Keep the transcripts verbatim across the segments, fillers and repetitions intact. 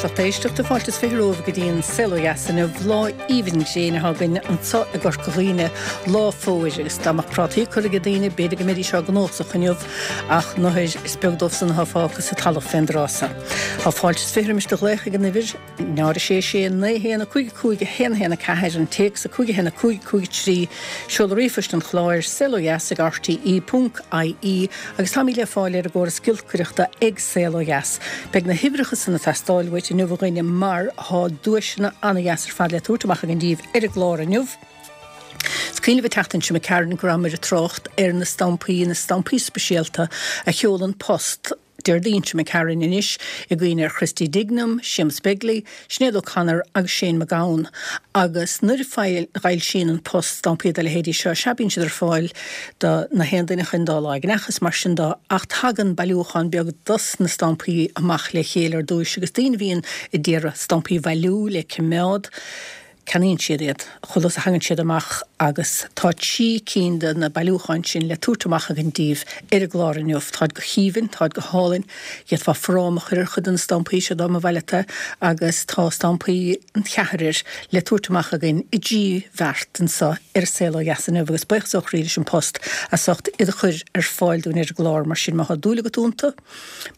Lucht éisteachta fáilte is fiche romhaibh go dtí an Saol Ó Dheas inniu lá aoibhinn gréine atá againn anseo i gCorca Dhuibhne lá fómhair agus dá mbeadh prátaí curtha ag daoine b'fhéidir go mbeidís á gcnuasach inniu ach nuair is beag dóibh san atá fágtha sa talamh fén dtráth seo. Tá fáilte is fiche roimis do ghlaoch ag an uimhir náid a sé sé naoi haon a cúig a cúig a haon a haon a ceathair an téacs a cúig a haon a cúig cúig trí seoladh ríomhphoist an chláir saol ó dheas ag RTE ponc IE agus táimid le fáil ar an gcóras giolcaireachta ag Saol Ó Dheas. Beidh na huimhreacha san ag teastáil uait inniu a dhuine mar tá duaiseanna an-dheas ar fad le tabhairt amach againn daoibh ar an gclár inniu. Is cuimhin libh an tseachtain seo imigh tharainn go rabhamar ag trácht ar na stampaí, na stampaí speisialta a sheol An Post Déardaoin seo imigh tharainn anois i gcuimhne ar Christy Dignam, Séamus Begley, Sinéad O'Connor agus Shane MacGowan. Agus nuair a fhoilsíonn An Post stampaí dá leithéidí seo, sea bíonn siad ar fáil do na haon duine chun dá lá ag is mar sin de ach tagann bailiúchán beag dos na stampaí amach le chéile ar dtúis agus daoine a bhíonn ag iarraidh stampaí a bhailiú le cimeád. Ceannaíonn siad iad chuile uair a thagann siad amach agus tá trí cinn de na bailiúcháin sin le tabhairt amach againn daoibh ar an gclár inniu. Táid go haoibhinn, táid go hálainn. D'fhéadfá fráma a chur ar chuid de na stampaí seo dá mba mhaith leat é agus tá stampaí an cheathrair le tabhairt amach againn i dtrí bheart anseo ar Saol Ó Dheas inniu agus buíochas ó chroí leis An Post as ucht iad a chur ar fáil dúinn ar an gclár mar sin má tá dúil agat iontu,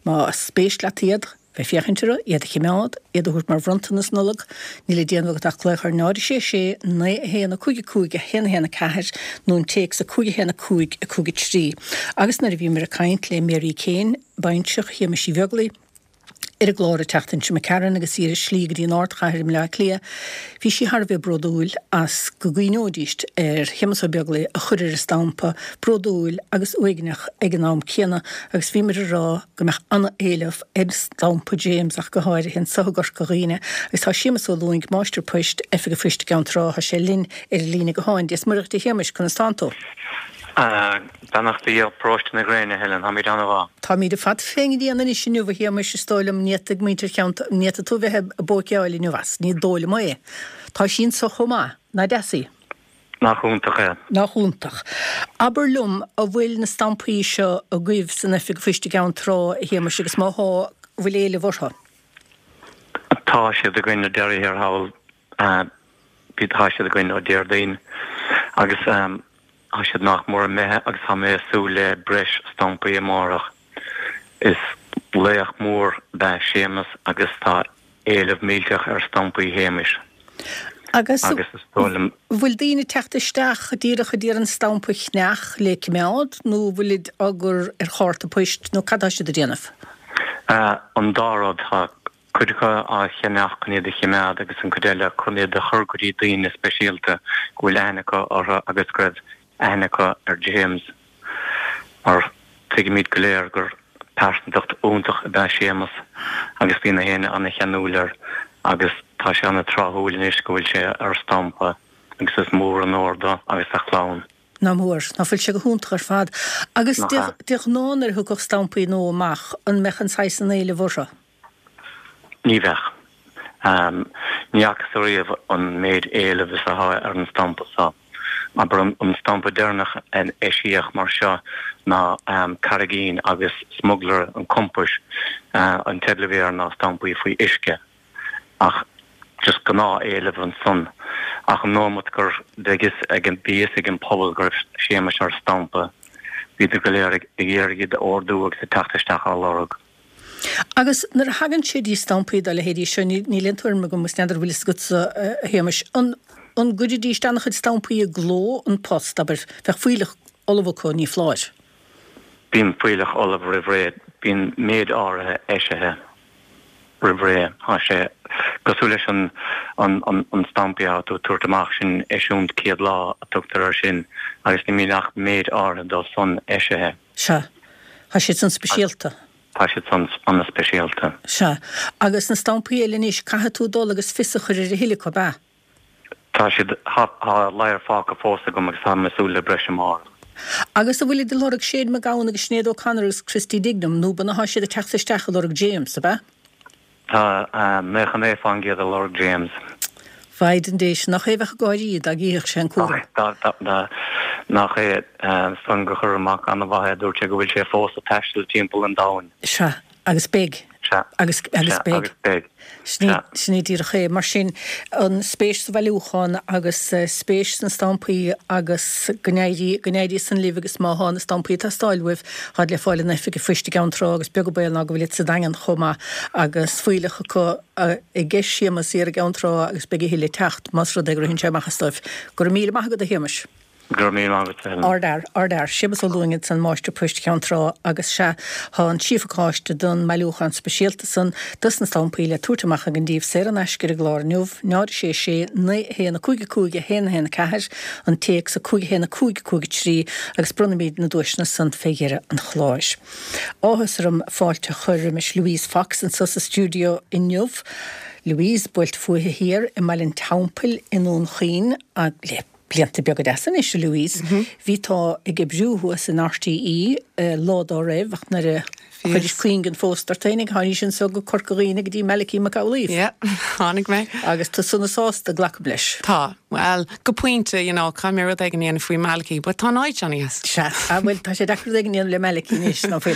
más spéis leat iad. Bheith ag féachaint orthu, iad a chimeád, iad a thabhairt mar bhronntanas Nollag. Níl le déanamh agat ach glaoch ar náid a sé sé, naoi a haon, a cúig a cúig, a haon a haon a ceathair nó an téacs a cúig a haon a cúig a cúig a trí. Agus nuair a bhíomar ag caint le Mary Kane, baintreach Shéamais Uí Bheaglaoi, ar an gclár an tseachtain seo imigh tharainn agus í ar a slí go dtí an ardchathair i mBleá Cliath, bhí sí thar a bheith bródúil as go gcuimhneoidíst ar Shéamus Ó Beaglaoi a chur ar an stampa, bródúil agus uaigneach ag an am céanna agus bhíomar ag rá go mbeadh an-éileamh ar stampa James ach go háirithe anseo i gCorca Dhuibhne agus tá Séamus Ó Lúing, Máistir Poist, Oifig an Phoist i gCeann Trá, tá sé linn ar an líne gutháin. Dia is Muire dhuit a Shéamais, conas tánn tú? Beannacht Dé ó Paróiste na Gréine, a Helen, táimid an-mhaith. Táimid ar fad fén ngrian anois inniu, a Shéamais, is dóigh liom, ní fhéadfaidh muintir Cheann, ní fhéadfaidh tú bheith ag bóiceáil inniu as, ní dóigh liom é. Tá sí anseo chomh maith, nach deas í? Nach iontach é. Nach iontach. Abair liom, an bhfuil na stampaí seo agaibh san Oifig Phoist i gCeann Trá, a Shéamais, agus má thá, an bhfuil éileamh orthu? Tá siad againn ar deireadh thiar thall. Bhí, tá siad againn ó Déardaoin agus tá siad nach mór imithe agus tá mé ag súil le breis stampaí amárach. Is laoch mór ab ea Séamus agus tá éileamh millteach ar stampaí Shéamais. Agus an bhfuil daoine ag teacht isteach díreach a d'iarraidh an stampa a cheannach le cimeád nó an bhfuilid á gcur ar chárta poist nó cad tá siad a déanamh? An dá rud. Tá cuid acu á cheannach chun iad a chimeád agus an cuid eile chun iad a chur go dtí daoine speisialta go bhfuil aithne acu orthu agus go raibh aithne acu ar James. Mar tuigimid go léir gur pearsantacht iontach ab ea Séamus agus bhí na héinne ana-cheanúil air agus tá sé ana-tráthúil anois go bhfuil sé ar stampa agus is mór an onóir dó agus dá chlann. Nach mór. Ná fuil sé go hiontach ar fad. Agus Nach ea. de ghnáth nuair a thiocfadh stampaí nua amach, an mbeadh an saghas san éileamh orthu? Ní bheadh. Ní fhacthas ariamh an méid éilimh is atá ar an stampa seo. Abair an stampa deireanach a eisíodh mar seo ná Carraigín agus Smugairle an Chompáis, an teideal a bhí air ná Stampaí Faoi Uisce. Ach just gnáth-éileamh ansan. Ach an nóimeat gur bheidh fhios ag an, bhí fhios ag an pobal go raibh Séamus ar stampa, bhíodar go léir ag iarraidh iad a ordú agus ag teacht isteach á lorg. Agus nuair a thagann sé dtí stampaí dá leithéidí seo, níl aon tuairim agam, agus n'fheadar an bhfuil fhios agatsa, a Shéamais, an an gcuirfidís an-chuid stampaí i gcló, An Post, abair, bheadh fuílleach ullamh acu, ní foláir. Bíonn fuílleach ullamh roimh ré, bíonn méid áirithe eisithe roimh ré. Tá sé cosúil leis an an stampaí atá tú ag tabhairt amach, sin eisiúint céad lá a tugtar air sin agus ní bhíonn ach méid áirithe dóibh san eisithe. Sea. Tá siad san speisialta. Tá siad san ana-speisialta. Sea. Agus na stampaí eile anois, caithfidh tú dul agus fios a chur ar a thuilleadh acu, ab ea? Tá siad, tá ladhar fágtha fós agam agus táim ag súil le breis amárach. Agus an bhfuilid ag lorg Shane MacGowan agus Sinéad O'Connor agus Christy Dignam, nó b'in atá siad ag teacht isteach ag lorg James, ab ea? Tá naocha naoi fán gcéad ag lorg James. Mhaighdean Dé, nach é a bheadh ag gáirí dá gcífeadh sé an cúram. Nach é san gur chuir a mhac an-mhaith é, dúirt sé go bhfuil sé fós ag taisteal timpeall an domhain. Sea, agus beidh, Sea. Agus agus Sea, beidh. agus beidh. Sin Sea. sin é díreach é. Mar sin, an spéis sa bhailiúchán agus spéis sna stampaí agus go n-éirí, go n-éirí san libh agus má thá na stampaí ag teastáil uaibh, táid le fáil in Oifig an Phoist i gCeann Trá agus beag an baol ná go bhfuil iad sa Daingean chomh maith agus fuílleach acu aige Séamus thiar i gCeann Trá agus beidh a thuilleadh ag teacht más rud é go ritheann sé amach as dóibh. Go raibh míle maith agat a Shéamais. Go raibh míle maith agat, a Helen. Ardfhear, ardfhear. Séamus Ó Lúing ansan, Máistir Poist Cheann Trá agus sea, thá an trí phacáiste don mbailiúchán speisialta san dos na stampaí le tabhairt amach againn daoibh saor in aisce ar an gclár inniu, náid a sé sé, naoi a haon a cúig a cúig a haon a haon a ceathair, an téacs a cúig a haon a cúig a cúig a trí agus bronnfaimid na duaiseanna san fé dheireadh an chláir. Áthas orm fáilte a chur roimis Louise Fox anso sa stiúideo inniu. Louise, buailte fúithi thiar i mBaile an Teampaill i nDún Chaoin, le blianta beaga deasa anois, a Louise. Bhí tú ag oibriú thuas in RTÉ lá dá raibh ach nuair a chuiris cuingin phóst ort féinig, tháinís anso go Corca Dhuibhne go dtí Malachy Mac Amhlaoibh. Yeah, tháinig mé. Agus tú sona sásta, glacaim leis. Tá, bhuel, go pointe, you know, caithfidh mé rud éigin a dhéanamh faoi Malachy, but tá an áit an-dheas. Sea, ah bhuel, tá sé deacair rud éigin a dhéanamh le Malachy anois, ná fuil?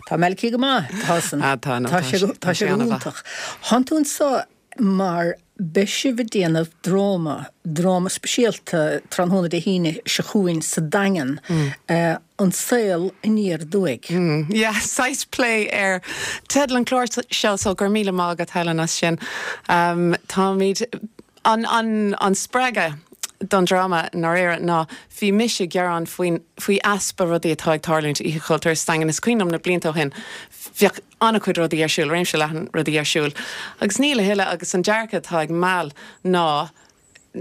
Tá Malachy go maith, tá san. Ah, tá, no, Tá tá sé sé, go, tá tá sé sé go an-mhaith. hiontach. Thánn tú anso mar beidh sibh ag déanamh dráma, dráma speisialta tráthnóna Dé hAoine seo chugainn sa Daingean, An Saol Aniar Aduaidh. Yeah, saghas plé ar teideal an chláir seo, so go raibh míle maith agat Helen as sin. Um, táimid an, an, an spreagadh don dráma i ndáiríre ná bhí mise ag gearán faoin, faoi easpa rudaí atá ag tarlúint Oíche Chultúir sa Daingean. Is cuimhin liom na blianta ó shin, bheadh an-chuid rudaí ar siúl, réimse leathan rudaí ar siúl. Agus níl a thuilleadh agus an dearcadh atá ag Mal ná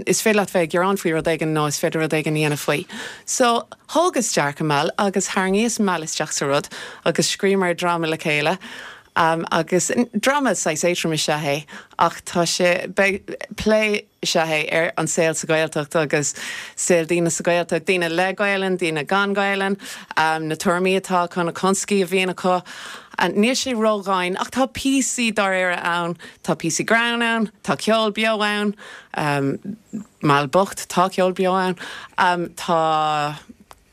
is féidir leat bheith ag gearán faoi rud éigin nó is féidir rud éigin a dhéanamh faoi. So thógas dearcadh Mal agus tharraingíos Mal isteach sa rud agus scríobhamar dráma le chéile. Um, agus dráma saghas éadrom is ea é ach tá sé beidh plé is ea é ar an saol sa Ghaeltacht agus saol daoine sa Ghaeltacht, daoine le Gaelainn, daoine gan Gaelainn, um, na tuairimí atá acu, na constaicí a bhíonn acu. And níl sé ródhian ach tá píosaí dáiríre ann, tá píosaí greann ann, tá ceol beo ann, um, Mal bocht tá ceol beo ann, um, tá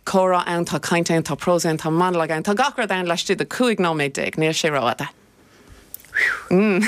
comhrá ann, tá caint ann, tá prós ann, tá monalóg ann, tá gach rud ann laistigh de cúig nóiméad déag, níl sé rófhada. Mm.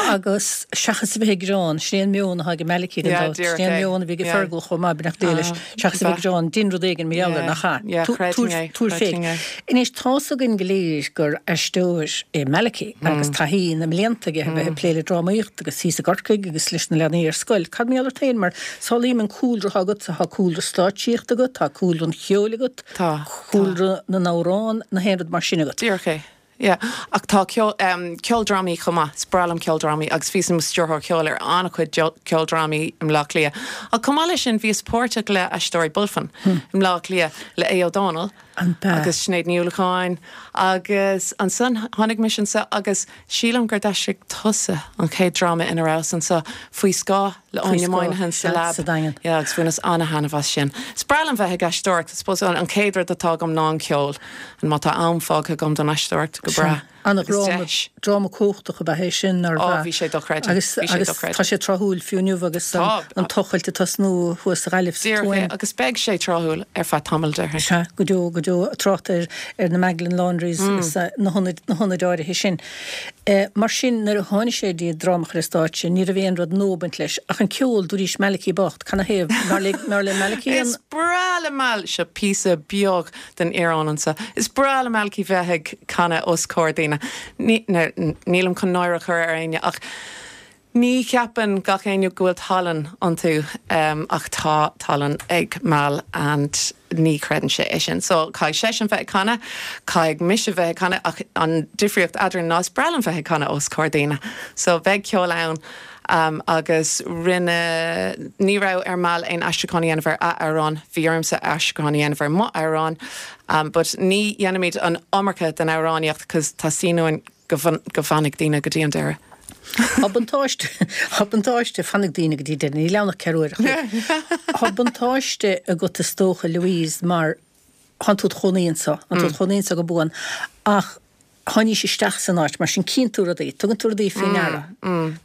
Agus seachas a bheith ag gearán, sin é an meon atá ag Malachy gan Yeah, dabht, díreach sin é an é. meon a bhí ag Yeah. Fergal chomh maith beannacht Dé leis, Ah, seachas a bheith ag gearán, dein rud éigin mar gheall air, nach ea? Yeah, Tú- creidfinn é, Túr creidfinn féin. é. Anois tá's againn go léir gur aisteoir é Malachy agus taithí na mblianta aige a bheith ag plé le drámaíocht agus thíos i gCorcaigh agus leis na leanaí ar scoil. Cad mar gheall ort féin mar samhlaím an cúlra atá agat, tá cúlra stáitsíocht agat, tá cúlra an cheoil agat, Tá, cúlra na n-amhrán, na haon rud mar sin agat. Díreach é. Yeah. Ach tá ceol, um, ceoldrámaí chomh maith, is breá liom ceoldrámaí agus bhíos i mo stiúrthóir ceoil ar an-chuid ceoldrámaí i mBleá Cliath. Ach chomh maith leis sin bhíos páirteach le Aisteoirí Bulfin i mBleá Cliath le Aodh Ó Dónaill An bea. agus Sinéad Ní Uallacháin agus ansan tháinig mise anseo agus sílim gur d'aistrigh tusa an chéad dráma ina rabhas anseo faoi scáth le Faoi Áine scáth, Moynihan sa sea, lab. sa Daingean. Yeah, agus bhaineas an-thaitneamh as sin. Is breá liom bheith ag aisteoireacht, I suppose an chéad rud atá agam ná an ceol, an má tá am fágtha agam don aisteoireacht go breá. Ana Agus dráma deis. dráma cumhachtach ab ea é sin ar Ó, bheith. bhí sé dochreidte. Agus Bhí sé agus dochreidte. tá sé tráthúil fiú inniu agus an, Tá. an tochailt ag tosnú thuas sa Ghaillimh sa Díreach é, Tuaim. agus beidh sé tráthúil ar feadh tamaill déarfainn. Sea, go deo go deo trácht ar ar na Magdalene Laundries Mm. agus eh, na hionaid na hionaid áirithe sin. Eh, mar sin nuair a tháinig sé dtí dráma a chur ar stáitse, ní raibh aon rud nua ag baint leis ach an ceol dúirt Malachy bocht, canathaobh nár le nár le Malachy an Is breá le Mal seo píosa beag den íoróin anseo. Is breá le Malachy bheith ag canadh os comhair daoine. Ní- ná- Nílim chun náire a chur ar éinne ach ní cheapann gach éinne go bhfuil tallann iontu um, ach tá tallann ag Mal and ní chreideann sé é sin. So caithfidh seisean bheith ag canadh, caithfidh mise bheith ag canadh ach an difríocht eadrainn ná is breá liom bheith ag canadh os comhair daoine. So bheidh ceol ann um, agus rinne ní raibh ar Mal aon aistriúchán a dhéanamh ar a amhrán, bhí ormsa aistriúchán a dhéanamh ar mo amhrán, um, but ní dhéanaimid an iomarca den amhránaíocht cos tá síúin go go bhfanfaidh daoine go dtí an deireadh. Tá buntáiste Tá buntáiste fanfaidh daoine go dtí deireadh, níl ann ach ceithre uair a chloig. Tá buntáiste agat is dócha Louise mar tánn tú i do chónaí anseo, tánn tú i do chónaí anseo go buan ach tháinís isteach san áit mar sin cíonn tú rudaí, tugann tú rudaí faoi ndeara.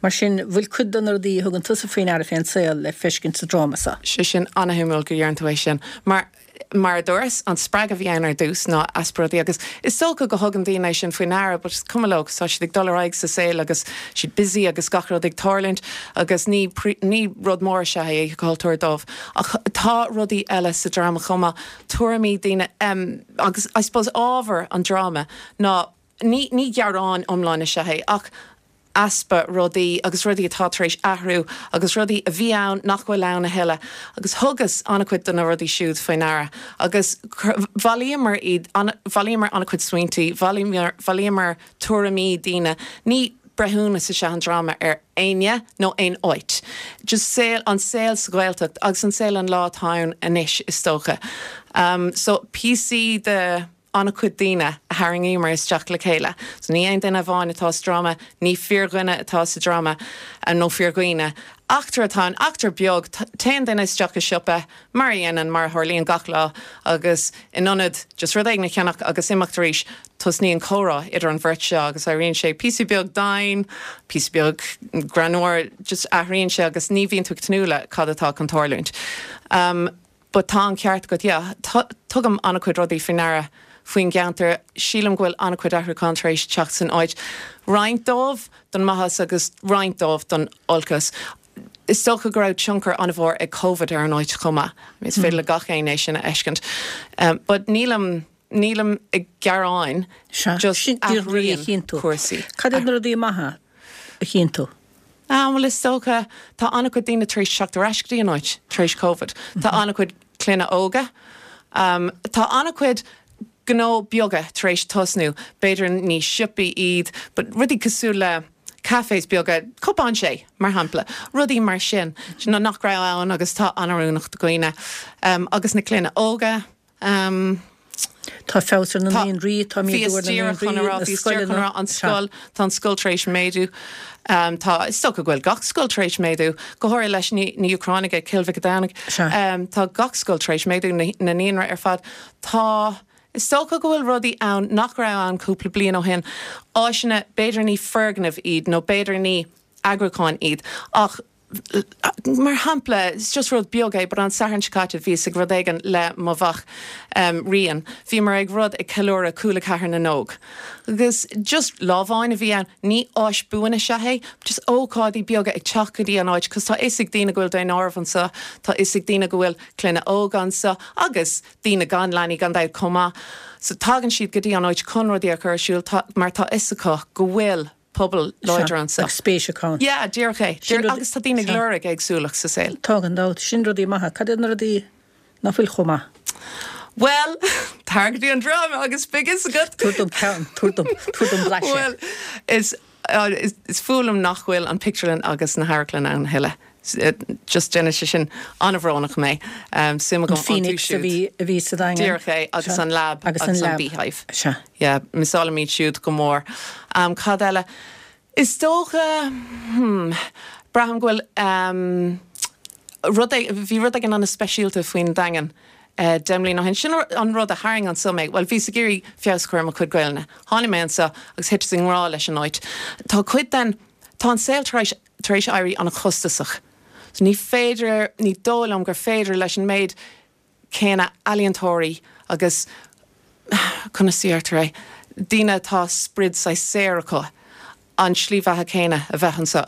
Mar sin bhfuil cuid de na rudaí a thugann tusa faoi ndeara fén saol le feiscint sa dráma seo. Sé sin an-shuimiúil go ndeireann tú é sin. Mar Mar a dúras, an spreagadh a bhí ann ar dtús ná easpa rudaí agus is dócha go thugann daoine é sin faoi ndeara, but is cuma leo, tá siad ag dul ar aghaidh sa saol agus siad busy agus gach rud ag tarlúint agus ní ní rud mór is ea é Oíche Chultúir dóibh. Ach tá rudaí eile sa dráma chomh maith, tuairimí daoine um, agus I suppose ábhar an dráma ná ní ní gearán iomlán is ea é ach easpa rudaí agus rudaí atá tar éis athrú agus rudaí a bhí ann nach bhfuil ann a thuilleadh agus thugas an-chuid de na rudaí siúd faoi ndeara agus bhailíomar iad bhailíomar an-chuid smaointe, bhailíomar tuairimí daoine. Ní breithiúnas is ea an dráma ar éinne nó aon áit. Just saol an saol sa Ghaeltacht agus an saol an lá atá ann anois is dócha. Um, so píosaí de an-chuid daoine a tharraingíomar isteach le chéile. So ní aon duine amháin atá sa dráma, ní fíordhuine atá sa dráma nó fíordhaoine. Eachtra atá ann, eachtra beag, téann duine isteach i siopa mar a dhéanann mar a tharlaíonn gach lá agus in ionad just rud éigin a cheannach agus imeacht arís, tosnaíonn comhrá idir an bheirt seo agus éiríonn sé píosa beag domhain, píosa beag greannmhar, just athraíonn sé agus ní bhíonn tú ag tnúth le cad atá chun tarlúint. Um, but tá an ceart agat, yeah, tugaim an-chuid rudaí faoi ndeara faoin gceantar, sílim go bhfuil an-chuid athrúchán tar éis teacht san áit. Roinnt dóibh don maitheas agus roinnt dóibh don olcas. Is dócha go raibh tionchar an-mhór ag Covid ar an áit chomh maith. Is féidir le gach éinne é sin a fheiscint. Um, but nílim nílim ag gearán, just athraíonn cúrsaí. Cad iad na rudaí maithe a chíonn tú? Ah, well is dócha tá an-chuid daoine tar éis teacht ar ais go dtí an áit tar éis Covid. Tá an-chuid clainne óga. Um, tá an-chuid gnó beaga tar éis tosnú, b'fhéidir ní siopaí iad, but rudaí cosúil le cafés beaga, cupán tae, mar shampla, rudaí mar sin, you know, nach raibh ann agus tá an-oiriúnach do dhaoine. Um, agus na clainne óga. Um, Tá feabhas ar na naíonraí, tá méadú ar na naíonraí, na scoileanna. An scoil, tá an scoil tar éis méadú. Um, tá is dócha go bhfuil gach scoil tar éis méadú, go háirithe leis na hÚcránaigh ag Cill Mhic Domhnaigh. Um, tá gach scoil tar éis méadú na, na naíonra ar fad. Tá Is dócha go bhfuil rudaí ann nach raibh ann cúpla bliain ó shin, áiseanna, b'fhéidir ní foirgnimh iad nó b'fhéidir ní eagrúcháin iad, ach mar shampla, it's just rud beag é, but an Satharn seo caite bhíos ag rud éigin le mo mhac um, Rian. Bhíomar ag rud ag ceiliúradh Cúla Ceathair na nÓg. Agus just lá amháin a bhí ann, ní áis buan is ea é, just ócáidí beaga ag teacht go dtí an áit, cos tá fhios ag daoine go bhfuil daonáireamh anseo, tá fhios ag daoine go bhfuil clainne óga anseo, agus daoine gan leanaí gan dabht chomh maith. So tagann siad go dtí an áit chun rudaí a chur ar siúl mar tá fhios acu go bhfuil pobal láidir anseo. Agus spéis acu ann. Yeah, díreach é. Sin rud- Agus tá daoine ag lorg éagsúlacht sa saol. Tá gan dabht. Sin rudaí maithe. Cad iad na rudaí nach bhfuil chomh maith? Well, tar go dtí an dráma agus beidh fhios agat. Tabhair dom ceann, tabhair dom, tabhair dom blaiseadh. Well, is, uh, is, is fuath liom nach bhfuil an pictiúrlann agus na hamharclann ann a thuilleadh. Just déanann sé sin an-bhrónach mé. Um, suim agam An Phoenix a bhí a bhí sa Daingean. Díreach é agus Sea. an lab Agus agus an an lab. Beehive. Sea. Yeah, missálaim iad siúd go mór. Um, cad eile? Is dócha, hmm, braithim go bhfuil um, rud é, bhí rud éigin an-speisialta faoin Daingean. Uh, deich mbliana ó shin. Sin an rud a tharraing anseo mé. Well, bhíos ag iarraidh feabhas a chur ar mo chuid Gaelainne. Tháinig mé anseo agus thiteas i ngrá leis an áit. Tá cuid den, tá an saol tar éis, tar éis éirí an-chostasach. So ní féidir, ní dóigh liom gur féidir leis an méid céanna ealaíontóirí agus conas a deirtear é, daoine atá sprid saghas saor acu an slí bheatha céanna a bheith anseo.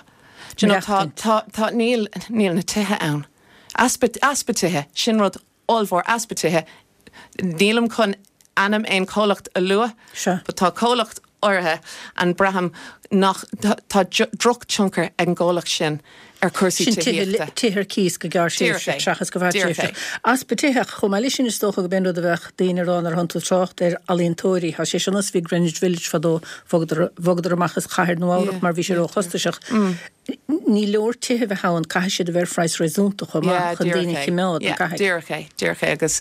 Do you know, tá, tá, tá, níl, níl na tithe ann. Easpa, easpa tithe, sin rud ollmhór, easpa tithe. Nílim chun ainm aon chomhlacht a lua, Sea. but tá comhlacht áirithe an braithim nach tá, tá drochthionchar ag an gcomhlacht sin ar chúrsaí Sin tithe tithíochta. tithe ar cíos go gearrthréimhseach Díreach é. seachas go Díreach fadtréimhseach. é. Easpa tithe chomh maith leis sin is dócha go b'in rud a bheadh daoine ag rá nuair a thánn tú ag trácht ar ealaíontóirí. Tá sé sin bhí Greenwich Village fadó bhogadar bhogadar amach as Cathair Nua-Eabhrac Yeah, mar bhí sé róchostasach. Ní leor tithe bheith ann caithfidh siad a bheith ar phraghas réasúnta chomh maith chun daoine a choimeád an cathair. Díreach é, díreach é agus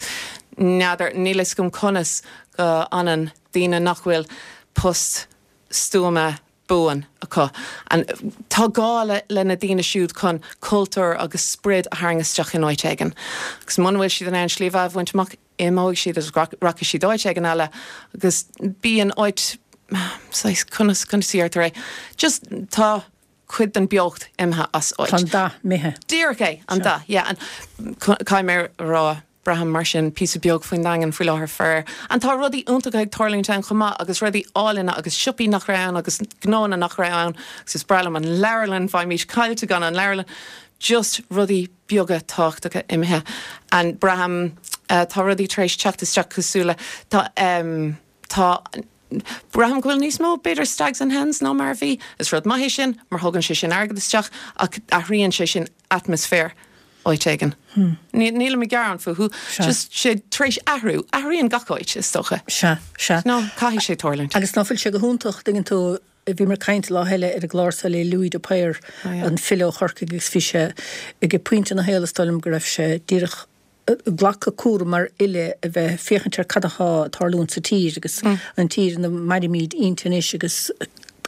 n'fheadar níl fhios agam conas go bhfanann daoine nach bhfuil post stuama buan acu. An tá gá le le na daoine siúd chun cultúr agus sprid a tharraingt isteach in áit éigin. Agus muna bhfuil siad in ann slí bheatha a bhaint amach imeoidh siad agus rachaidh siad áit éigin eile agus bíonn áit saghas conas conas a deirtear é. Just tá cuid den beocht imithe as áit. Tá an dath imithe. Díreach é an dath, yeah, an caithfidh mé a rá Braithim mar sin píosa beag faoin Daingean faoi láthair faraor. And tá rudaí iontacha ag tarlúint ann chomh maith agus rudaí áille agus siopaí nach raibh ann agus gnónna nach raibh ann agus is breá liom an leabharlann, bheimis caillte gan an leabharlann. Just rudaí beaga tábhachtacha imithe. And braithim uh, tá rudaí tar éis teacht isteach cosúil le tá um, tá Braithim go bhfuil níos mó b'fhéidir stags and hens ná mar bhí, is rud maith é sin, mar thugann sé sin airgead isteach ach athraíonn sé sin atmaisféar áit éigin. Hmm. Níl mé ag gearán fúthu, just sé tar éis athrú, athraíonn gach áit is dócha. Sea, sea. No, caithfidh sé tarlúint. Agus ná fuil sé go hiontach tuigeann tú bhí mé ag caint lá eile ar an gclár seo le Louis de Paor oh, yeah. an file ó Chorcaigh agus bhí sé ag pointe ina shaol is dóigh liom go raibh sé díreach glacadh cúram mar fhile a bheith féachaint ar cad atá ag tarlúint sa tír agus mm. an tír ina mairimid inti anois agus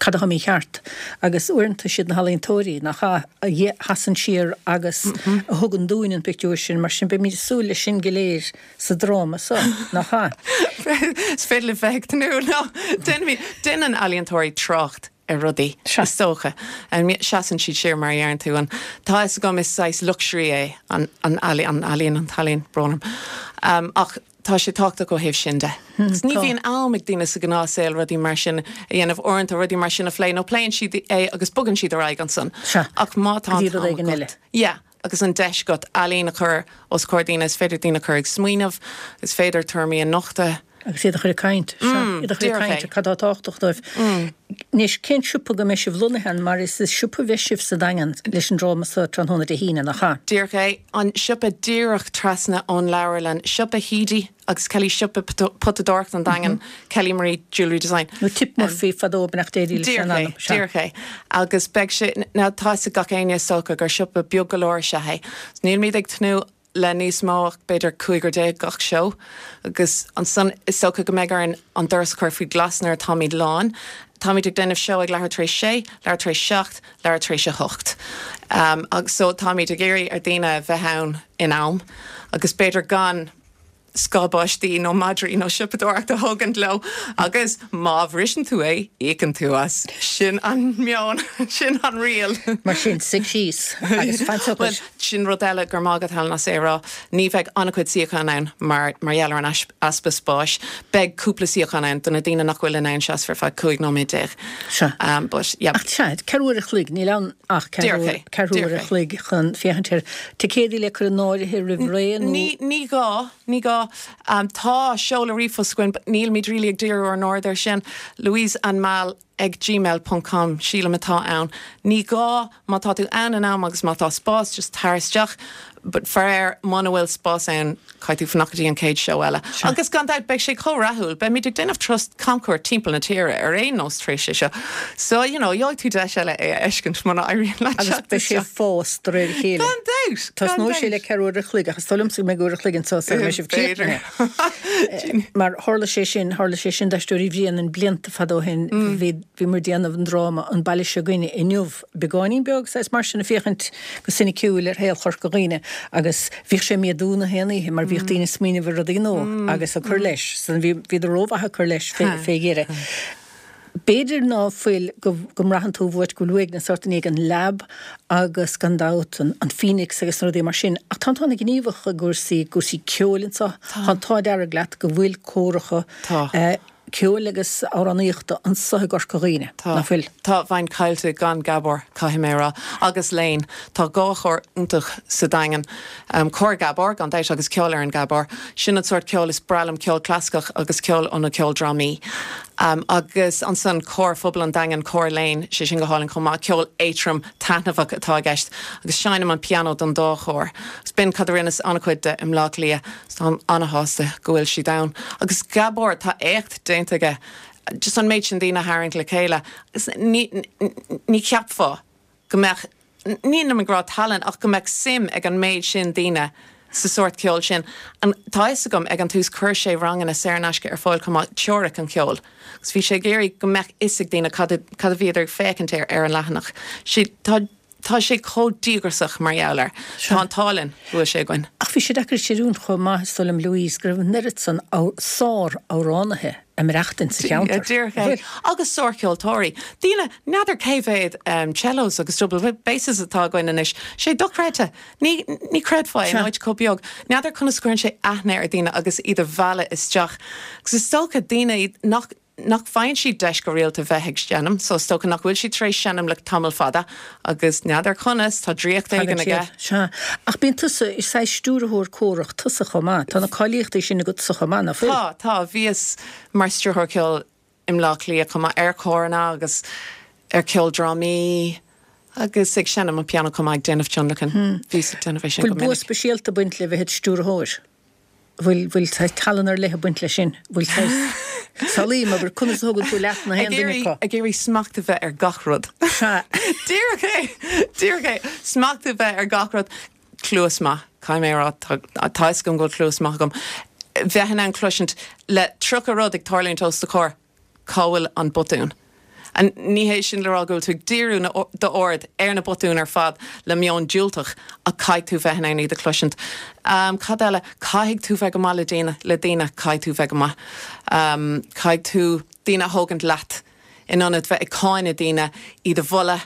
cad atá mícheart agus uaireanta siad na healaíontóirí nach a sheasann siar agus mm -hmm. a thugann dúinn an pictiúr sin mar sin beimid ag súil leis sin go léir sa dráma seo nach ea. Is féidir le bheith tnúth nó déanann ealaíontóirí trácht ar rudaí is dócha. Seasann siad siar mar a deireann tú an tá a fhios agam is saghas luxury é an ealaíon an t-ealaíon brón orm. Um, ach tá sé tábhachtach ó thaobh sin de. Hmm, ní bhíonn am ag daoine sa ghnáthshaol rudaí mar sin a dhéanamh uaireanta rudaí mar sin a phlé nó pléann siad é agus bogann siad ar aghaidh ansan. Ach má tá Yeah. agus an deis agat ealaín a chur os comhair daoine is féidir daoine a chur ag smaoineamh, is féidir tuairimí a nochtadh. Agus iad a chur ag caint, sea, iad a chur ag caint ar cad atá tábhachtach dóibh. Anois, cén siopa go mbeidh sibh lonnaithe ann mar is i siopa a bheidh sibh sa Daingean leis an dráma seo tráthnóna Dé hAoine, nach ea? Díreach é. An siopa díreach trasna ón leabharlann, siopa Heedy agus Kelly siopa potadóireachta an Daingin, Kelly Marie Jewellery Design. Nó Tip Murphy fadó beannacht Dé leis an ainm. Díreach é. Agus beidh sé, now tá a fhios ag gach éinne is dócha gur siopa beag go leor is ea é. Nílimid ag tnúth le níos mó ach b'fhéidir cúigear déag gach seó agus ansan is dócha go mbeidh orainn an doras a chur faoi ghlas nuair atáimid lán. Táimid ag déanamh seó ag leathuair tar éis sé, leathuair tar éis seacht, leathuair tar éis a hocht. Um, agus so táimid ag iarraidh ar daoine bheith ann in am agus b'fhéidir gan scáth báistí nó madraí nó siopadóireacht a thógaint leo agus má bhriseann tú é, íocann tú as. Sin an meon, sin an riail. Mar sin, suigh síos agus fan socair. Bhuel, sin rud eile go raibh maith agat Helen as é a rá, ní bheidh an-chuid suíochán ann mar mar gheall ar an easpa spáis. Beidh cúpla suíochán ann do na daoine nach bhfuil in ann seasamh ar feadh cúig nóiméad déag. Sea. Um, but, yeah. Ach sea, ceathrú uair a chloig, níl ann ach ceathrú uair a chloig chun féachaint air. Ticéadaí le cur in áirithe roimh ré nó? Ní, ní gá, ní gá. Um, tá seoladh ríomhphost againn, but nílimid really ag díriú ár n-aird air sin. Louise and Mal ag gmail ponc com, sílim atá ann. Ní gá, má tá tú ann in am agus má tá spás, just tar isteach. But faraor, muna bhfuil spás ann, caithfidh tú fanacht go dtí an chéad seó eile. Agus gan dabht, beidh sé chomh rathúil, beimid ag déanamh turas camchuairt timpeall na tíre ar aon nós tar éis é seo. So, you know, gheobhaidh tú deis eile é a fheiscint muna éiríonn leat Agus teacht beidh sé isteach. ag fás de réir a chéile. Gan dabht! Gan Tosnóidh sé dabht. le ceathrú uair a chloig, ach is dóigh liomsa go mbeidh uair a chloig anseo sara mbeidh sibh B'fhéidir. críochnaithe. Mar tharla sé sin, tharla sé sin d'Aisteoirí Bhréanainn blianta fada ó shin, bhí, bhí muid ag déanamh an dráma An Baile Seo Againne Inniu, beagáinín beag, saghas mar sin, ag féachaint go soiniciúil ar shaol Chorca Dhuibhne agus bhíodh sé ag méadú na haon oíche mar bhíodh daoine ag smaoineamh ar rudaí nua agus ag cur leis. So bhí, bhíodar rómhaith ag cur leis fé, fé dheireadh. B'fhéidir ná fuil go, go mbraitheann tú uait go bhfuil uaigneas ort i ndiaidh an Lab agus gan dabht an, an Phoenix agus na rudaí mar sin ach tá an t-ádh gníomhach i gcúrsaí, gcúrsaí ceoil anseo. Tá an t-ádh dearg leat go bhfuil córacha Tá. eh, ceoil agus amhránaíochta anseo i gCorca Dhuibhne, Tá. nach bhfuil? Tá, bheinn caillte gan Gabhar, caithfidh mé a rá. Agus Léan. Tá dhá chór iontach sa Daingean. Cór Gabhar, gan dabht, agus Ceolfhoireann Gabhar. Sin an sórt ceoil is breá liom, ceol clasaiceach agus ceol ó na ceoldrámaí. Agus ansan Cór Phobal an Daingin, Cór Léan, sé sin go hálainn chomh maith. Ceol éadrom, taitneamhach atá i gceist. Agus seinnim an pianó don dá chór. Agus b'in cad a rinneas an-chuid de i mBleá Cliath. Táim an-shásta go bhfuil siad ann. Agus Gabhar, tá éacht déanta aige. Just an méid sin daoine a tharraingt le chéile. Ní, ní cheapfá go mbeadh, nílim ag rá tallann, ach go mbeadh suim ag an méid sin daoine sa sórt ceoil sin. And tá fhios agam, ag an tús chuir sé ranganna saor in aisce ar fáil chomh maith, teoiric an cheoil. Agus bhí sé ag iarraidh go mbeadh fhios ag daoine cad a, cad a bhíodar ag féachaint air ar an leathanach. Sé, tá. Tá sé chomh díograiseach mar gheall air. Tá an t-ádh linn go bhfuil sé againn. Ach bhí sé deacair a chreidiúint chomh maith, is dóigh liom, Louise, go raibh an oiread san sár-amhránaithe ag maireachtaint sa cheantar. Díreach é. Agus sárcheoltóirí. Daoine, n'fheadar cé mhéad cellos agus double basses atá againn anois. Sé dochreidte. Ní ní chreidfeá in áit chomh beag. N'fheadar conas cuireann sé aithne ar daoine agus iad a mhealladh isteach. Agus is dócha daoine nach nach bhfaigheann siad deis go rialta bheith ag seinm, so is dócha nach bhfuil siad tar éis seinm le tamall fada agus n'fheadar conas, tá draíocht éigin aige. Sea. Ach bíonn tusa, is saghas stiúrthóir córach tusa chomh maith. Tá na cáilíochtaí sin agatsa chomh maith, nach bhfuil? Tá, tá. Bhíos mar stiúrthóir ceoil i mBleá Cliath chomh maith ar chóranna agus ar cheoldrámaí agus ag seinm an pianó chomh maith ag déanamh tionlacan. Bhíos ag déanamh é sin go Bhfuil bua minic. speisialta ag baint le bheith i do stiúrthóir? Bhfuil, bhfuil saghas tallann ar leith ag baint leis sin? Bhfuil saghas, samhlaím, abair, conas a thugann tú leat na haon Ag duine iarraidh, acu? ag iarraidh smacht a bheith ar gach rud. Sea. Díreach é, díreach é. Smacht a bheith ar gach rud. Cluas maith, caithfidh mé a rá, tá, tá fhios agam go bhfuil cluas maith agam. Bheith in ann cloisint le tríocha rud ag tarlúint os do chomhair, cá bhfuil an botún? And ní hé sin le rá go bhfuil tú ag díriú na d'aird ar na botúin ar fad le meon diúltach ach caithfidh tú bheith in ann iad a chloisint. Um, cad eile, caithfidh tú bheith go maith le daoine, le daoine, caithfidh tú bheith go maith. Um, caithfidh tú daoine a thógaint leat in ionad bheith ag cáineadh daoine iad a mholadh.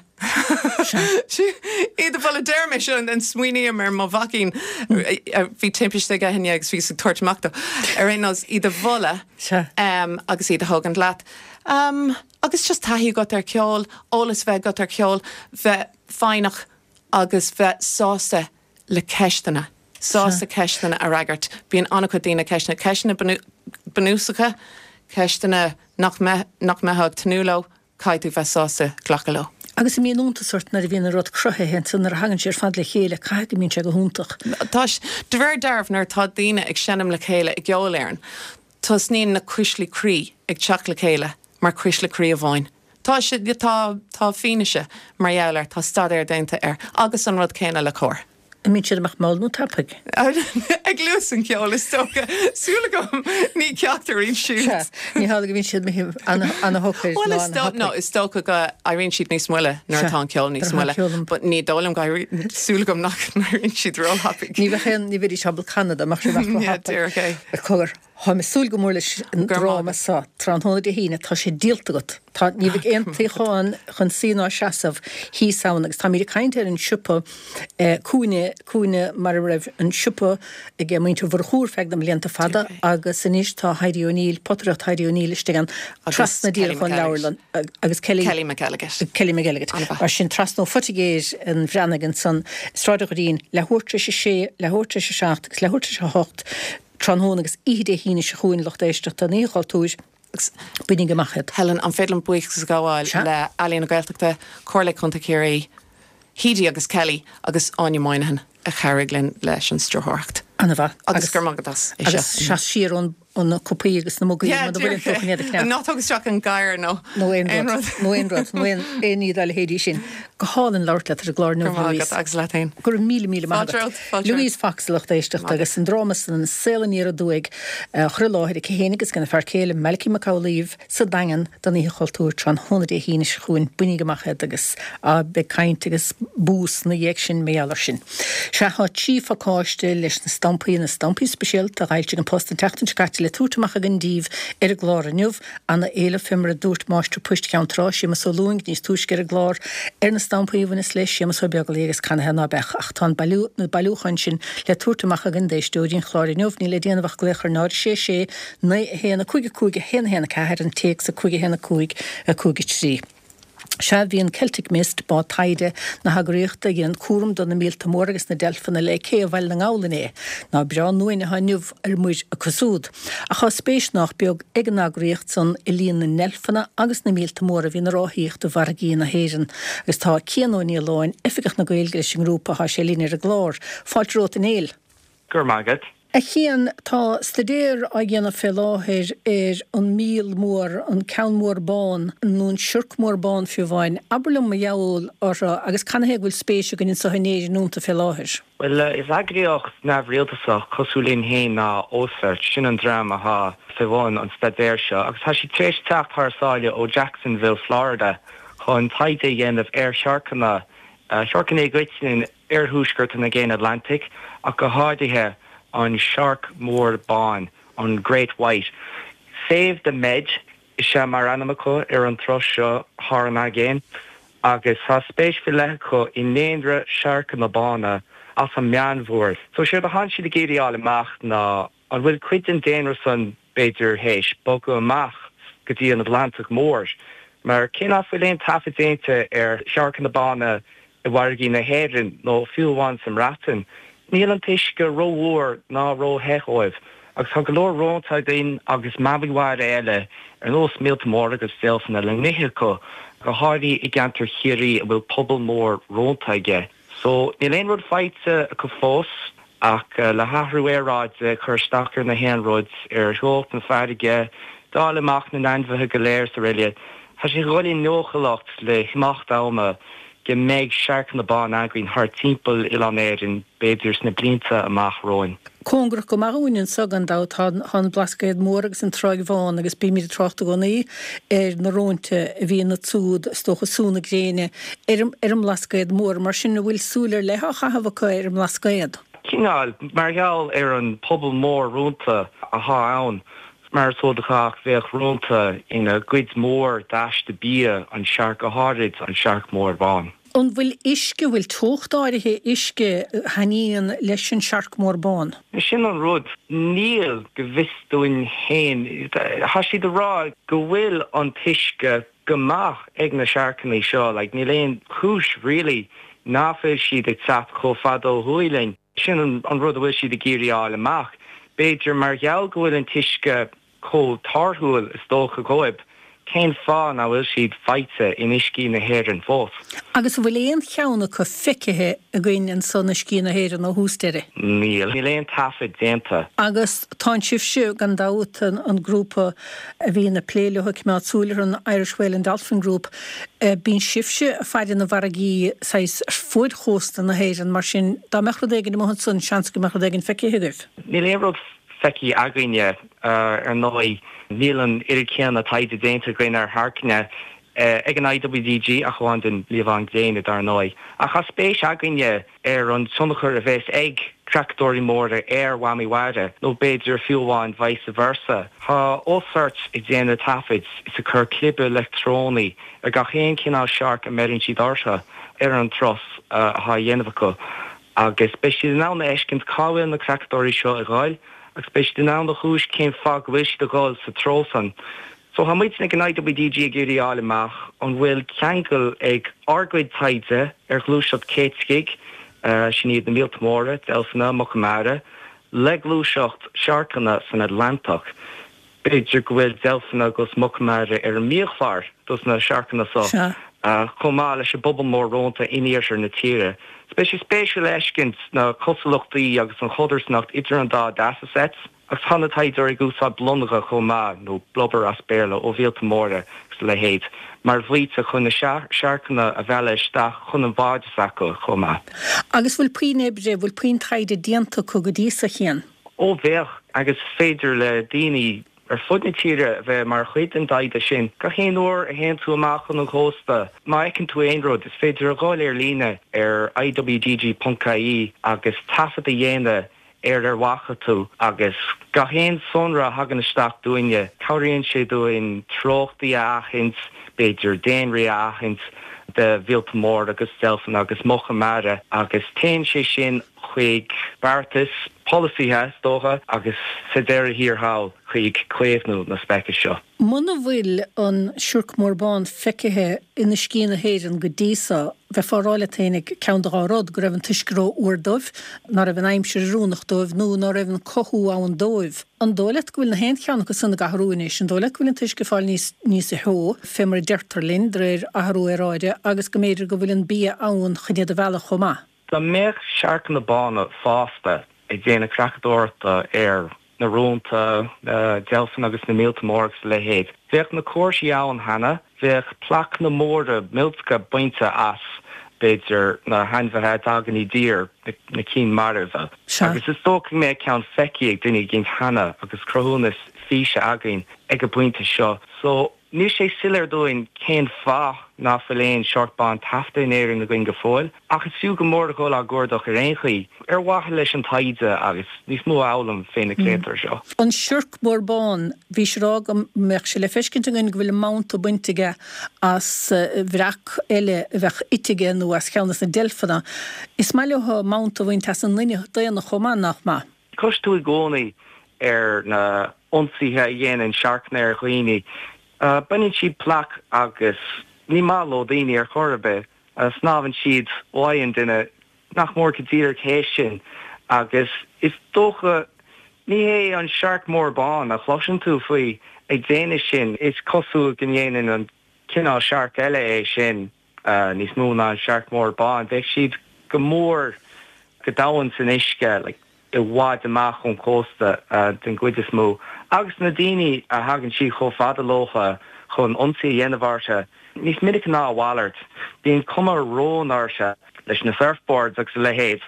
Iad a mholadh deir mé seo an smaoiním ar mo mhaicín bhí timpiste aige inné agus bhíos ag tabhairt amach dó. Ar aon nós iad a mholadh Sea. um, agus iad a thógaint leat. Um, agus just taithí agat ar ceol, eolas bheith agat ar ceol, bheith foighneach agus bheith sásta le ceisteanna. Sásta ceisteanna a fhreagairt. Bíonn an-chuid daoine ceisteanna, ceisteanna bunú- bunúsacha, ceisteanna nach mbe nach mbeifeá ag tnúth leo, caithfidh tú bheith sásta glacadh leo. Agus an mbíonn iontas ort nuair a bhíonn an rud cruthaithe ansan nuair a thagann sé ar fad le chéile, caithfidh go mbíonn sé go hiontach. Tá de réir dealraimh nuair atá daoine ag seinm le chéile i gceolfhoireann, tosnaíonn na cuislí croí ag teacht le chéile mar cuisle croí amháin. Tá sé tá tá fianaise mar gheall air, tá staidéar déanta air agus an rud céanna le cór. An mbíonn siad amach mall nó tapaidh? Ag luas an cheoil is dócha súil agam ní ceachtar iad siúd. Sea, ní hé go mbíonn siad ana-shocair Well is dó no is dócha go éiríonn siad níos moille nuair Sea, atá an ceol níos nuair atá moille, ceol an- but ní dóigh liom go éirí- súil agam nach n-éiríonn siad róthapaidh. Ní bheadh aon ní bheidís ábalta canadh dá mbeadh siad Yeah, díreach é. Cogar Tá mé ag súil go mór leis an Go raibh dráma maith seo tráthnóna Dé hAoine tá sé díolta agat. Tá ní bheidh aon suíochán chun suí ná seasamh thíos ann agus táimid ag caint ar an siopa eh, cúinne cúinne mar a raibh an siopa ag muintir Mhurchú ar feadh na mblianta fada agus anois tá Heidi O'Neill potaireacht Heidi O'Neill istigh ann Agus trasna Kelly díreach ón McElligott. leabharlann agus Kelly Kelly McElligott. Kelly McElligott. An-mhaith. Mar sin trasna ó Phoitigéir an Bhreathnaigh ansan Sráid an Dhoirín leathuair tar éis a sé leathuair tar éis a seacht agus leathuair tar éis a hocht tráthnóna agus oíche Dé hAoine seo chugainn lucht éisteachta an Oíche Chultúir bainigí amach iad. Helen an féidir liom buíochas a ghabháil Sea. le Ealaín na Gaeltachta, Comhairle Contae Chiarraí, Heidi agus Kelly agus Áine Moynihan a chabhraigh linn leis an stiúrthóireacht. An-mhaith. Agus gur maith as é agus seo. seas siar ón ó na cupaí agus na mugaí Yeah, mar bhfuil tú chun iad a chneá. Ná tóg isteach an gadhar nó Nó aon rud, nó aon rud, nó aon aon ní dá leithéidí sin. Go hálainn labhairt leat ar an gclár Go inniu, maith Louise. agat agus leat féin. Go raibh míle míle maith Fáilte agat. romhat, fáilte Louise Fox lucht éisteachta agus an dráma san An Saol Aniar Aduaidh á chur i láthair aici féin agus gona fear céile Malachy Mac Amhlaoibh sa Daingean don Oíche Chultúir tráthnóna Dé hAoine seo chugainn bainigí amach iad agus á beidh caint agus bús na dhiaidh sin mar gheall air sin. Sea tá trí phacáiste leis na stampaí na stampaí speisialta a d'fhoilsigh An Post an tseachtain seo caite le tabhairt amach againn daoibh ar an gclár inniu ana-éileamh fé mar a dúirt máistir poist Cheann Trá Séamus Ó Lúing níos túisce ar an gclár ar na stampaí a bhaineas le Séamus Ó Beaglaoich agus canathaobh ná beadh ach tá an bailiú na bailiúcháin sin le tabhairt amach againn d'éisteoirí an chláir inniu níl le déanamh ach glaoch ar náid sé sé naoi a haon a cúig a cúig a haon a haon a ceathair an téacs a cúig a haon a cúig a cúig a trí. Sea bhí an Celtic Mist bád taighde na heagraíochta a dhéanann cúram do na míolta móra agus na deilfeanna le cé Bhaile na nGall inné, ná breá nuain atá inniu ar muir acu siúd. Ach tá spéis nach beag ag an eagraíocht san i líon na ndeilfeanna agus na míolta móra a bhíonn ag ráthaíocht i bhfarraigí na hÉireann, agus tá Cian Ó Nialláin oifigeach na Gaeilge leis an ngrúpa tá sé linn ar an gclár. Fáilte romhat a Néill. Go raibh maith agat. A Chian tá staidéar á dhéanamh fé láthair ar an míol mór, an ceann mór bán, nó an siorc mór bán fiú amháin. Abair liom mar gheall orthu agus canathaobh go bhfuil spéis againn anseo in Éirinn iontu fé láthair. Well uh, is eagraíocht neamhrialtasach cosúil linn féin ná Ocearch sin an dream atá fé bhun an staidéir seo, agus tá siad tar éis teacht thar sáile ó Jacksonville, Florida chun taighde a dhéanamh ar siorcanna uh, siorcanna i gcoitinne ar thuaisceart an Aigéin Atlantic ach go háirithe an shark mór bán an Great White. Save the Med is ea mar ainm acu ar an turas seo thar an aigéan, agus tá spéis faoi leith acu i ndaonra searcanna bána as an Meánmhuir. So séard atá siad ag iarraidh a fháil amach ná an bhfuil cuid den daonra san b'fhéidir théis bogadh amach go dtí an Atlantach Mór, mar cé nach bhfuil aon taifead déanta ar shearcanna bána i bhfarraigí na hÉireann nó fiú amháin sa mBreatain, níl an t-uisce rófhuar ná róthe dóibh, agus tá go leor rónta againn agus mamaigh mhara eile ar nós míolta móra agus deilfeanna le n-ithe acu, go háirithe i gceantar Chiarraí a bhfuil pobal mór rónta aige. So, níl aon rud faighte acu fós, ach le hathrú aeráide ag cur isteach ar na haon rud, ar theocht na farraige, dáileadh amach na n-ainmhithe go léir is araile, tá sé ag dul i ndóchúlacht le himeacht ama go mbeidh searcanna bána againn thart timpeall oileán Éireann, b'fhéidir sna blianta amach romhainn. Cóngarach go maith dhúinn anso gan dabht tá an Blascaod Mór agus an Tráigh Bhán agus bímid ag trácht i gcónaí ar na rónta a bhíonn ansúd, is dócha, sú na gréine ar ar an mBlascaod Mór. Mar sin, an bhfuil súil ar leith á chaitheamh acu ar an mBlascaod? Cineál, mar gheall ar an pobal mór rónta athá ann. Mar is eol do chách, bheadh rónta ina gcuid mhór d'aiste bia an searc, go háirid an searc mór bán. An bhfuil uisce, bhfuil teocht áirithe uisce a thaitníonn leis an searc mór bán? Sin an rud, níl, go bhfios dúinn féin. Tá siad ag rá go bhfuil an t-uisce go maith ag na searcanna seo, like níl aon chúis really ná fuil siad ag teacht chomh fada ó thuaidh linn. Sin an rud a bhfuil siad ag iarraidh a fháil amach. B'fhéidir mar gheall go bhfuil an t-uisce chomh torthúil is dócha dhóibh, cén fáth nach bhfuil siad faighte in uiscí na hÉireann fós? Agus an bhfuil aon cheann acu feicthe againn anso in uiscí na hÉireann ó thús deireadh? Níl. Níl aon taifead déanta. Agus tánn sibhse, gan dabht, an grúpa a bhíonn ag plé leo, ag coimeád súil orthu, an Irish Whale and Dolphin Group, Bíonn sibhse ag faire na bhfarraigí saghas ar fuaid chósta na hÉireann, mar sin dá mbeadh rud éigin amuigh ansan, seans go mbeadh rud éigin feicthe agaibh. Níl aon rud feicthe againne, ar ndóigh. Níl an oiread céanna taighde déanta againn ar sharcanna ag an IWDG, ach amháin den liamhán gréine, dar ndóigh. Ach tá spéis againne ar an tionchar a bheas ag creachadóirí móra ar mhamaigh mhara, nó b'fhéidir fiú amháin vice versa. Tá OCEARCH ag déanamh taifid is ag cur clibe leictreonaí ar gach aon chineál searc a mbeireann siad orthu ar an turas atá á dhéanamh acu, agus beidh siad in ann a fheiscint cá bhfuil na creachadóirí seo ag dhul, agus beidh siad in ann a thomhas cén fáth go bhfuil siad ag dhul sa treo san. So tá muidne ag an IWDG ag iarraidh a fháil amach an bhfuil ceangal ag ár gcuid taighde ar ghluaiseacht céiticigh, sin iad na míolta móra, deilfeanna, muca mara, le gluaiseacht siorcanna san Atlantach. B'fhéidir go bhfuil deilfeanna agus muca mara ar an mbiachlár dos na siorcanna so, chomh maith leis an bpobal mór rónta in iarthar na tíre. So beidh sé spéisiúil a fheiscint na cosúlachtaí agus an chodarsnacht idir an dá data sets. Agus tá na taighdeoirí ag úsáid blonga chomh maith, nó blubber as Béarla, ó mhíolta móra agus a leithéid, mar bhaoite chun na siorcanna a mhealladh isteach chun an bháid s'acu chomh maith. Agus bhfuil puinn oibre, bhfuil puinn taighde déanta acu go dtí so, a Chian? Ó bheadh, agus is féidir le daoine ar fud na tíre a bheith mar chuid den dtaighde sin. Gach aon uair a théann tú amach chun an chósta, má fheiceann tú aon rud, is féidir a dhul ar líne ar iwdg ponc ie agus taifead a dhéanamh ar ar bhfaca tú agus gach aon sonra a thagann isteach dúinne, cabhraíonn sé dúinn treochtaí a aithint, b'fhéidir daonraí a aithint de mhíolta móra agus deilfeanna agus muca mara agus téann sé sin chuig beartais, polasaithe is dócha, agus sa deireadh thiar thall chuig caomhnú na speiceas seo. Muna bhfuil an siorc mór bán feicthe in uiscí na hÉireann go dtí so, bheifeá ag rá leat fhéinig ceann de dhá rud, go raibh an t-uisce ró-fhuar dóibh, ná raibh an aimsir oiriúnach dóibh nó ná raibh an cothú ann dóibh. An dóigh leat go bhfuil na haon cheann acu san ag athrú anois? An dóigh leat go bhfuil an t-uisce ag fáil níos níos theo, fé mar a deirtear linn, de réir athrú aeráide, agus go mb'fhéidir go bhfuil an bia ann chun iad a mhealladh chomh maith? Dá mbeadh searcanna bána fásta ag déanamh creachadóireachta ar na rónta, na deilfeanna agus na míolta móra agus a leithéid. Bheadh na comharthaí ann cheana, bheadh plaiceanna móra millteacha bainte as, b'fhéidir, na hainmhithe a dtagann i dtír, na cinn marbha. Agus is dócha go mbeadh ceann feicthe ag duine éigin cheana agus cruthúnas físe againn ag an bpointe seo. So, Níl sé soiléir dúinn cén fáth nach bhfuil aon siorc bán taifeadta in Éirinn againn go fóill, ach is fiú go mór a dhul á gcuardach ar aon chaoi, ar mhaithe leis an taighde agus níos mó a fhoghlaim fé na créatúir seo. An siorc mór bán, bhí sé rá go mbeadh sé le feiscint againn go bhfuil a mabhta bainte aige as bhreac eile a bheadh ite aige nó as cheann des na deilfeanna. Is maith leo mabhta a bhaint as an nduine daonna chomh maith, nach maith? Cloiseann tú i gcónaí ar na ionsaithe a dhéanann searcanna ar dhaoine. Baineann siad plaic agus ní maith leo daoine ar chor ar bith. Snámhann siad uaidh an duine nach mór go díreach théis sin agus is dócha ní hé an searc mór bán a chloiseann tú faoi ag déanamh sin. Is cosúil go ndéanann an cineál searc eile é sin níos mó ná an searc mór bán. Bheadh siad go mór go domhain san uisce like i bhfad amach ón chósta den gcuid is mó, agus na daoine a thagann siad chomh fada leo chun ionsaí a dhéanamh orthu, níos minice ná a mhalairt, bíonn cuma róin orthu leis na surfboards agus a leithéid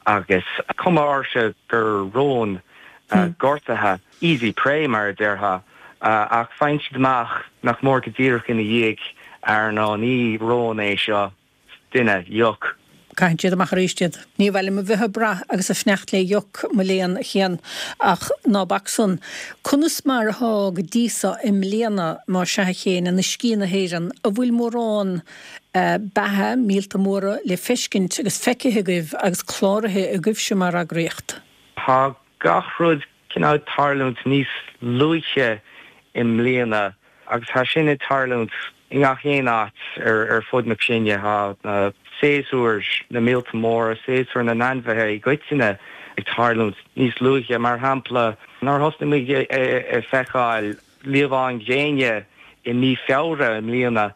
agus cuma orthu gur rón gortaithe, easy prey mar a déarfá, ach faigheann siad amach nach mór go díreach ina dhiaidh ar ná ní rón é seo, duine, ioc. Caitheann siad amach arís iad. Ní mhaith liom a bheith ag brath agus ag fanacht le ioc, mo léan, a Chéin, ach ná bac san. Conas mar atá go dtí so i mbliana, má sea, a Chéin, in uiscí na hÉireann, an bhfuil mórán beatha, míolta móra, le feiscint agus feicthe agaibh agus cláraithe agaibhse mar eagraíocht? Tá gach rud cineál ag tarlúint níos luaithe i mbliana agus tá sin ag tarlúint i ngach aon áit ar fud na cruinne. Tá na séasúir na míolta móra, séasúr na n-ainmhithe i gcoitinne ag tarlúint níos luaithe. Mar shampla, nuair a thosnaigh muid ag feiceáil liamháin ghréine i mí Feabhra i mbliana.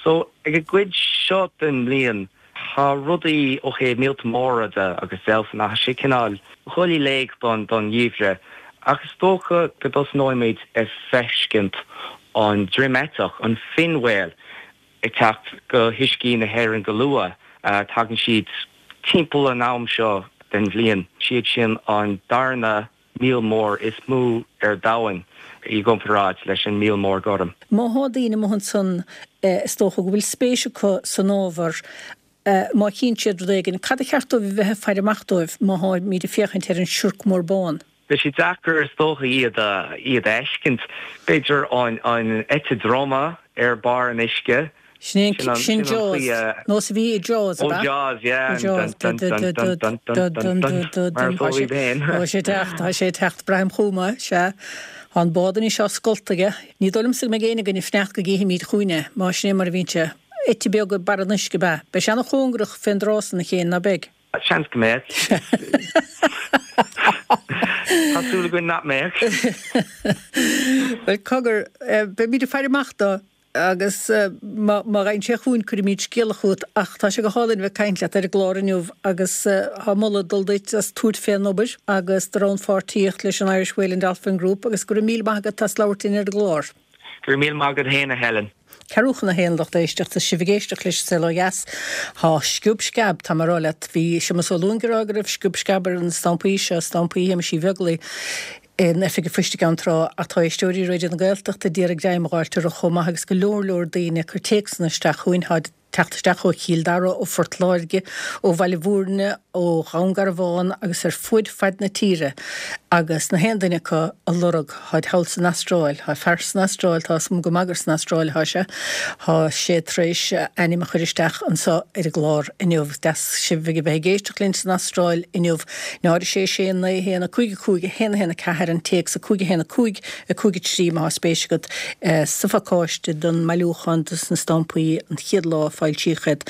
So, ag an gcuid seo den mbliain, tá rudaí ó thaobh míolta móra de agus deilfeanna, tá sé cineál dhul i léig don gheimhreadh. Ach is dócha go dtosnóimid ag feiscint an droim-eiteach, an fin whale, ag teacht go huiscí na hÉireann go luath. Tagann siad timpeall an am seo den bhliain. Siad sin an darna míol mór is mó ar domhan i gcomparáid leis an míol mór gorm. Má thá daoine amuigh ansan is dócha go bhfuil spéis acu san ábhar, má chíonn siad rud éigin, cad a cheart dóibh a bheith ag faire amach dóibh má tháimid ag féachaint ar an siorc mór bán? Beidh sé deacair is dócha iad a iad a fheiscint. B'fhéidir an an eite droma ar barr an uisce. Sin é sin Jaws. Nós a bhí i Jaws, ab ea? Ó Jaws, yeah. Dun dun dun dun dun dun dun dun. Mar is eol féin. Tá sé ag teacht, tá sé ag teacht, braithim chugam é, sea. Tá an bád anois á scoltadh aige. Ní dóigh liomsa go mbeidh éinne againn ag fanacht go gcífimid chugainn é, má sin é mar a bhíonn sé. Eite beag ag barr an uisce, ab ea? Beidh sé ana-chóngarach fén dtrá san, a Chéin, ná beidh? Seans go mbeadh. Tá súil againn nach mbeadh. Bhuel, cogar, beimid ag faire amach dó agus má thagann sé chugainn cuirfimid scéala chugat ach tá sé go hálainn a bheith ag caint leat ar an gclár inniu agus tá moladh ag dul duit as tabhairt fén obair agus do rannpháirtíocht leis an Irish Whale and Dolphin Group agus go raibh míle maith agat as labhairt linn ar an gclár. Go raibh míle maith agat féin, a Helen. Ceathrú chun a haon, lucht éisteachta, sibh ag éisteacht leis an Saol Ó Dheas. Tá sciob sceab, tá mé ag rá leat. Bhí Séamus Ó Luain ag rá go raibh sciob sceab ar na stampaí seo, stampaí Shéamais Uí Bheaglaoi, in Oifig an Phoist i gCeann Trá ach tá éisteoirí Raidió na Gaeltachta d'iarraidh greim a dh'fháilt orthu chomh maith agus go leor leor daoine ag cur téacsanna isteach chugainn. Táid ag teacht isteach ó Chill Dara, ó Phort Láirge, ó Bhaile Bhúirne, ó Dhún Garbhán agus ar fuaid faid na tíre agus na haon duine acu ag lorg, tháid thall san Astráil, tá fear san Astráil, tá 'fhios a'm go maith gur san Astráil atá sé, tá sé tar éis a ainm a chur isteach anso ar an gclár inniu. Deas sibh a bheith ag éisteacht linn san Astráil inniu. Náid a sé sé naoi a haon a cúig a cúig a haon a haon a ceathair an téacs a cúig a haon a cúig a cúig a trí má tá spéis agat sa phacáiste don mbailiúchán dos na stampaí an chéad lá a foilsíodh iad,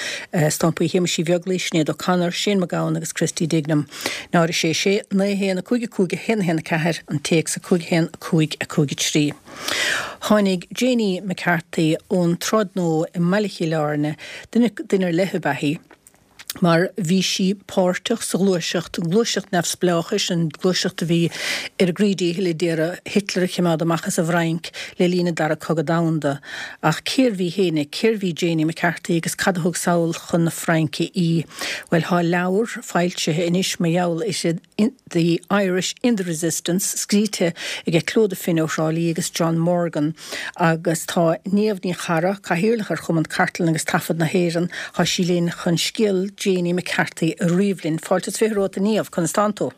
stampaí Shéamais Uí Bheaglaoi, Sinéad O'Connor, Shane MacGowan agus Christy Dignam. Náid a sé sé naoi a haon a cúig a cúig a haon a haon a ceathair an téacs a cúig a haon a cúig a cúig a trí. Tháinig Janie McCarthy ón tSráid Nua i mBaile Chill Airne, duine duine ar leith ab ea í, Mar bhí sí páirteach sa ghluaiseacht, an ghluaiseacht neamhspleáchais, an ghluaiseacht a bhí ar a gcroí díchill a d'iarraidh Hitler a choimeád amach as an bhFrainc le linn an Dara Cogadh Domhanda. Ach cérbh í fhéinig, cérbh í Janie McCarthy agus cad a thug sall chun na Fraince í? Bhuel, tá leabhar foilsithe anois mar gheall uirthi, The Irish in the Resistance, scríte aige Clodagh Finn ó Thrá Lí agus John Morgan agus tá Niamh Ní Charra, Cathaoirleach ar Chumann Cartlann agus Taifead na hÉireann, tá sí linn chun scéal Janie McCarthy a ríomh linn. Fáilte is fiche romhat a Niamh, conas tánn tú?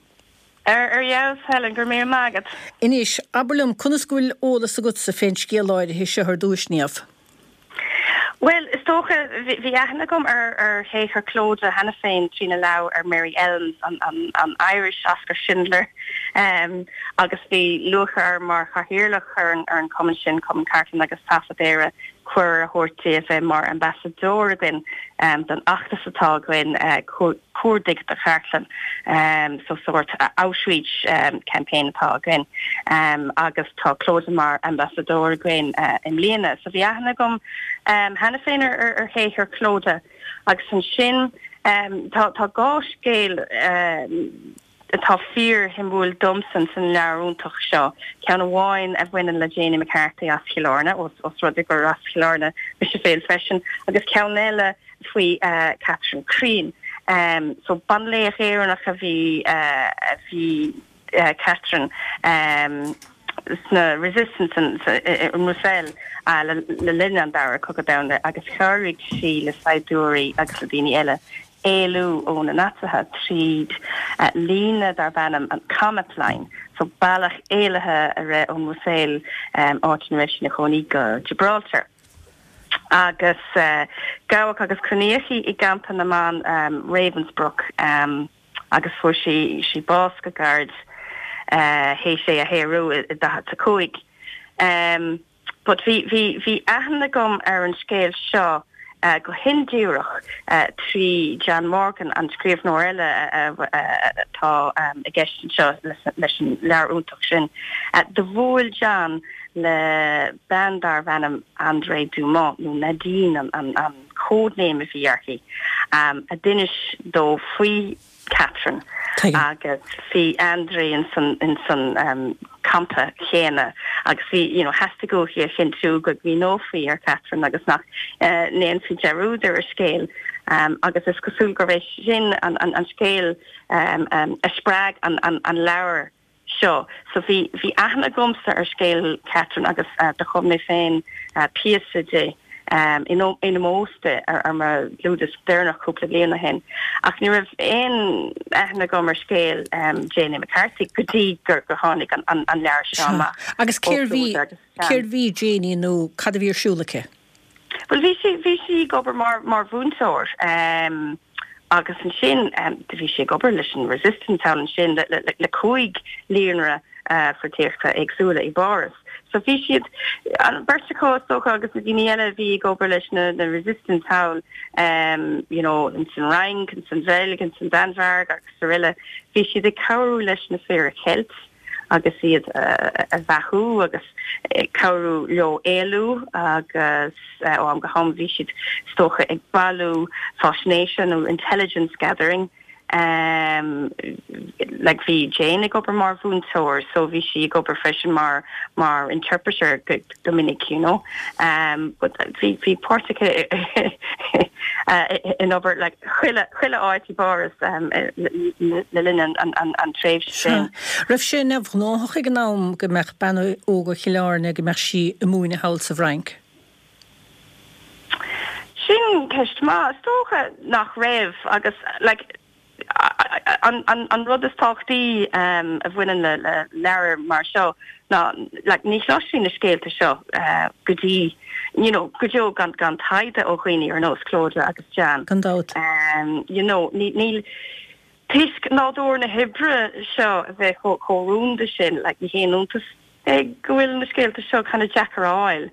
Ar fheabhas, Helen, go raibh míle maith agat. Anois, abair liom, conas go bhfuil eolas agatsa fén scéal áirithe seo ar dtúis, Niamh? Bhuel, is dócha, bhí aithne agam ar ar shaothar Clodagh cheana féin trína leabhar ar Mary Elmes, an an an Irish Oscar Schindler, agus bhí lúcháir orm mar chathaoirleach ar an ar an chumann sin, Cumann Cartlann agus Taifead Éire, cuireadh a thabhairt di a bheith mar ambasadóir againn don fheachtas atá againn, Cuardaigh do Chartlann, so sórt outreach campaign atá againn agus tá Clodagh mar ambasadóir againn i mbliana. So bhí aithne agam cheana féin ar shaothar Clodagh agus ansin tá tá dhá scéal atá fíorshuimiúil domsa san leabhar iontach seo, ceann amháin a bhaineann le Janie McCarthy as Chill Airne, os rud é gur as Cill Airne mise féin freisin, agus ceann eile faoi Catherine Crean. So banlaoch Éireannach a bhí a bhí Catherine sna Resistance i mBruiséil le linn an Dara Cogadh Domhanda agus chabhraigh sí le saighdiúirí agus le daoine eile éalú ó na Naitsithe tríd líne darb ainm an Comet Line, so bealach éalaithe a raibh ón mBruiséil, áit ina raibh sí ina cónaí, go Gibraltar. Agus gabhadh agus coinníodh í i gcampa na mban Ravensbrück agus fuair sí sí bás go gairid théis é a shaorú i daichead a cúig. But bhí bhí bhí aithne agam ar an scéal seo go hindíreach trí John Morgan, an scríbhneoir eile atá i gceist anseo leis an leabhar iontach sin. Do bhuail John le bean darbh ainm Andrée Dumont, nó Nadine an an an code name a bhí uirthi, a d'inis dó faoi Catherine agus bhí Andrée in san in san campa chéanna agus bhí you know theastaigh uaithi a chinntiú go gcuimhneofaí ar Catherine agus nach ndéanfaí dearúd ar a scéal agus is cosúil gurbh é sin an an an scéal a spreag an an an leabhar seo. So bhí bhí aithne agamsa ar scéal Catherine agus do chum mé féin píosa di in in ómós di ar ar mo dhlúthdhiosca deireanach cúpla bliain ó shin. Ach ní raibh aon aithne agam ar scéal Janie McCarthy go dtí gur gur tháinig an an an leabhar seo amach. Agus cérbh í cérbh í Janie nó cad a bhí ar siúl aici? Bhuel bhí sí bhí sí ag obair mar mar mhúinteoir agus ansin do bhí sí ag obair leis an Resistance thall ansin le le le cúig líonra pholaitíochta éagsúla i bPáras. So bhí siad an bheirt acu is dócha agus na daoine eile a bhí ag obair leis na na Resistance thall um, you know, in san Fhrainc, in san Bheilg, in san Danmhairg agus araile, bhí siad ag cabhrú leis na fir a cheilt agus iad a bheathú agus cabhrú leo éalú agus ó am go ham bhí siad is dócha ag bailiú faisnéise nó intelligence gathering. Um, like bhí Jane ag obair mar mhúinteoir, so bhí sí ag obair freisin mar mar interpreter go, go minic, you know. Um, but bhí bhí páirt aici in obair like chuile chuile áit i bPáras um, le linn an, an, an, an tréimhse sin. Raibh sé neamhghnách ag an am go mbeadh bean óg ó Chill Airne go mbeadh sí ag múineadh thall sa bhFrainc? Sin ceist maith, is dócha nach raibh agus like an, an, an rud is tábhachtaí um, a bhaineann le, le leabhar mar seo ná like, ní chloisfí na scéalta seo uh, go dtí you know, go deo gan gan taighde ó dhaoine ar nós Clodagh agus John. Gan dabht. Um, you know, ní, níl toisc nádúr na hoibre seo a bheith chomh rúnda sin, like, ní haon iontas é go bhfuil na scéalta seo kind of deacair a fháil.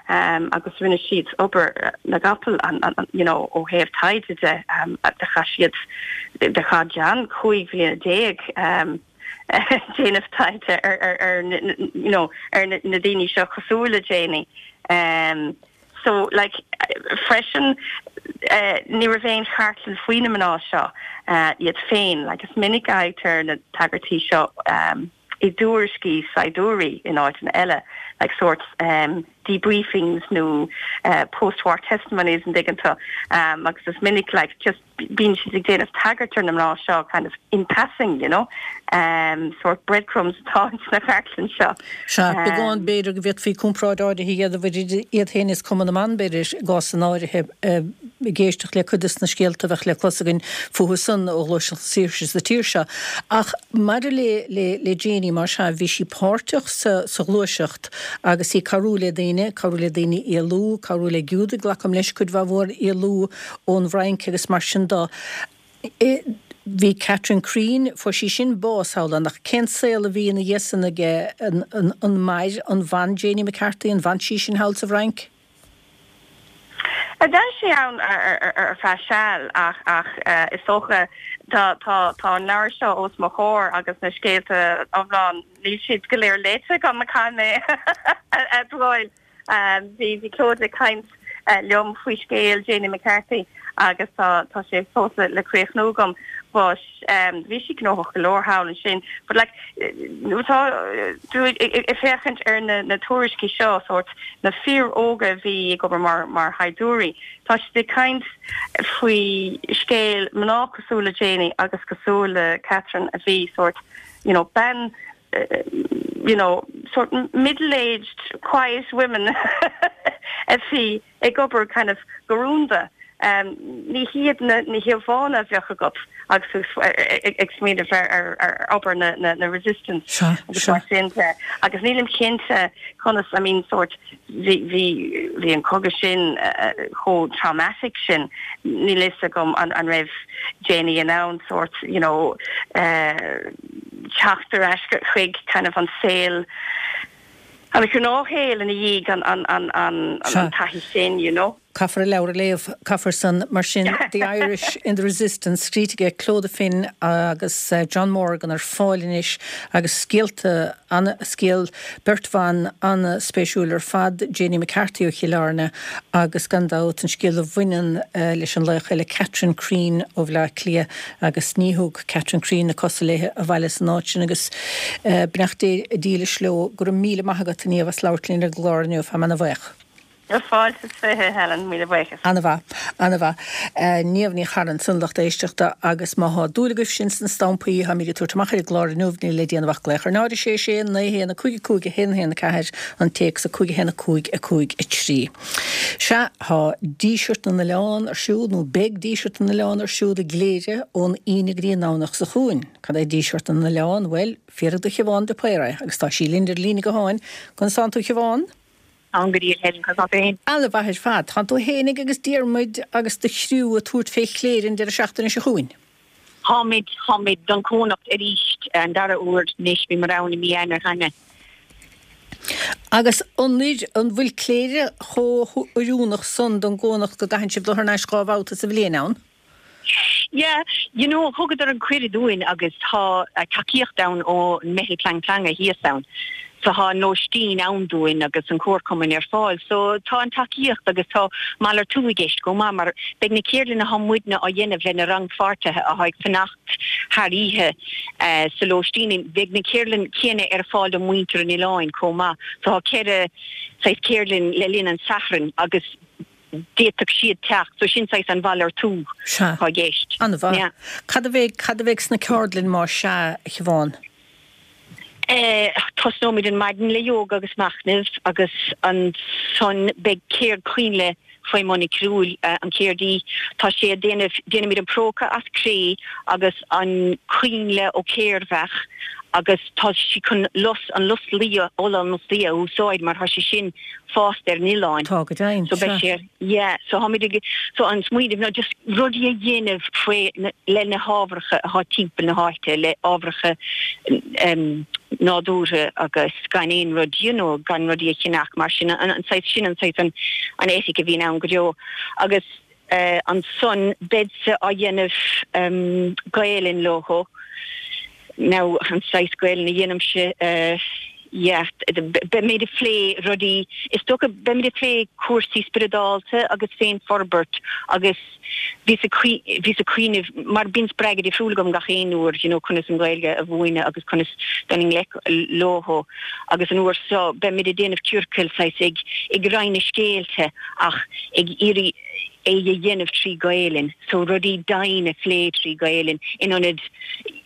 Um, agus rinne siad obair na gcapall an, an, you know, ó thaobh taighde de um, de chaith siad de chaith John cúig bhliana déag um, déanamh taighde ar, ar, ar, you know, ar na, na daoine seo cosúil le Janie. Um, So like freisin uh, ní raibh aon chartlann faoi na mná seo uh, iad féin, like is minic a fhaightear na tagairtí seo um, i dtuairiscí saighdiúirí in áiteanna eile, like sort um, debriefings nó uh, post-war testimonies an dtuigeann tú um, agus is minic like just bíonn siad ag déanamh tagairt ar na mná seo kind of in passing you know um, sort breadcrumbs atá sna cartlann seo. Sea, beagán b'fhéidir go bhféadfaí comparáid áirithe a dhéanamh idir iad féin is Cumann na mBan b'fhéidir i gcás in áirithe ag éisteacht le cuid de na scéalta a bheadh le clos againn fúthu san ó Ghluaiseacht na Saoirse sa tír seo. Ach maidir le le le Janie mar sea bhí sí páirteach sa sa ghluaiseacht agus í cabhrú le daoine, cabhrú le daoine éalú, cabhrú le Giúdaigh glacaim leis cuid mhaith mhór éalú ón bhFrainc agus mar sin de. Bhí Catherine Crean, fuair sí sin bás thall ann, ach cén saol a bhí ina dhiaidh san aige an, an, an mair an bhean Janie McCarthy, an bhfan sí sin thall sa bhFrainc? D'fhan sí ann ar feadh seal ach ach is dócha tá tá tá an leabhar seo os mo chomhair agus na scéalta iomlán níl siad go léir léite agam caithfidh mé a admháil. Bhí bhí Clodagh ag caint liom faoi scéal Janie McCarthy agus tá tá sé fós le le críochnú agam but um, bhí sí gnóthach go leor thall ansin but like nuair atá tú ag féachaint ar na na tuairiscí seo sort na fir óga a bhí ag obair mar mar shaighdiúirí tá siad ag caint faoi scéal mná cosúil le Janie agus cosúil le Catherine a bhí sort you know ben uh, you know sort middle-aged quiet women a bhí ag obair kind of go rúnda um, ní hiad na, na híomhánna a bheadh agat agus ag smaoineamh ar ar ar obair na, na, na resistance Sea, agus sea. mar sin de. agus nílim cinnte conas I mean sort bhí bhí bhí an cogadh sin uh, chomh traumatic sin níl a fhios agam an, an raibh Janie in ann sort you know uh, teacht ar ais chuig kind of an saol an gnáthshaol ina dhiaidh an an an an an Sea. taithí sin you know. Caithfear an leabhar a léamh caithfear san mar sin The Irish in the Resistance scríte ag Clodagh Finn agus uh, John Morgan ar fáil anois agus scéalta an scéal beirt bhan an-spéisiúil ar fad Janie McCarthy ó Chill Airne agus gan dabht an scéal a bhaineann uh, leis an laoch eile Catherine Crean ó Bhaile Átha Cliath agus ní thug Catherine Crean na cosa léi abhaile san áit sin agus uh, beannacht Dé dílis leo go raibh míle maith agat a Niamh as labhairt linn ar an gclár inniu tá mé an-bhuíoch. Fáilte is fiche Helen míle buíochas. An-mhaith an-mhaith Niamh Ní Charra ansan lucht éisteachta agus má tá dúil agaibh sin sna stampaí tá muid ag tabhairt amach ar an gclár inniu níl le déanamh ach glaoch ar náid sé sé naoi haon a cúig a cúig a haon haon a ceathair an téacs a cúig a haon a cúig a cúig a trí. Sea tá Díseart na nOileán ar siúl nó beidh Díseart na nOileán ar siúl i gCléire ón Aoine go dtí an Domhnach seo chugainn. Cad é Díseart na nOileán bhuel fiafraigh de Shiobhán de Paor agus tá sí linn ar líne gutháin conas tánn tú Siobhán? An go dtí Helen cos féin. An-mhaith ar fad, Tá tú fhéinig agus Diarmuid agus do chriú ag tabhairt fé Chléire an deireadh seachtaine seo chugainn. Táimid táimid don Chónocht arís an dara huair anois bhíomar ann i mí Eanáir cheana. Agus an an bhfuil Cléire chomh hoiriúnach san don gCónocht go gcaitheann sibh dul thar n-ais dhá bhabhta sa bhliain ann? Yeah, you know, thugadar an cuireadh dúinn agus tá tacaíocht ann ó Meitheal Plean Teanga thíos ann. So tá an lóistín ann dúinn agus an comharchumann ar fáil, so tá an tacaíocht agus tá malartú i gceist go maith mar beidh na ceardlanna atá muidne á dhéanamh le na rannpháirtithe atá ag fanacht thar oíche uh, sa lóistín beidh na ceardlanna céanna ar fáil do mhuintir an oileáin chomh maith, so tá ceithre saghas ceardlann le linn an Sathairn agus d'fhéadfadh siad teacht, so sin saghas an mhalartú atá i gceist. An-mhaith. Cad a bheidh cad a bheidh sna ceardlanna mar sea Siobhán? Eh, tosnóimid an maidin le yoga agus machnamh agus ansan beidh ceird coinnle faoi Monique Crúil uh, an ceardaí tá sé déanamh déanaimid an próca as cré agus an coinnle ó chéirbheach agus tá sí chun lus an lus liath ola an lus liath a úsáid mar tá sé sin fásta ar an oileán. Tá go deimhin So beidh sé yeah, so táimid ag so an smaoineamh ná just rudaí a dhéanamh faoi le na hábhacha atá timpeall na háite le ábhacha um, nádúrtha agus gan aon rud you know, gan rudaí a cheannach mar sin an, an saghas sin an saghas an, an eitic a bhíonn ann go deo agus uh, ansan beidh á dhéanamh um, Gaelainn leo. Now an saghas Gaelainn a dhéanaimse uh, yeah, beimid ag plé rudaí, is dócha beimid ag plé cúrsaí spioradálta agus féinfhorbairt agus bhíos ag bhíos ag cuimhneamh mar bíonn spreagadh difriúil agam gach aon uair, you know, conas an Ghaeilge a mhúineadh agus conas dul i ngleic leo agus an uair seo beimid ag déanamh ciorcail saghas ag ag roinnt na scéalta ach ag iarraidh é a dhéanamh trí Ghaelainn, so rudaí domhain a phlé trí Ghaelainn in ionad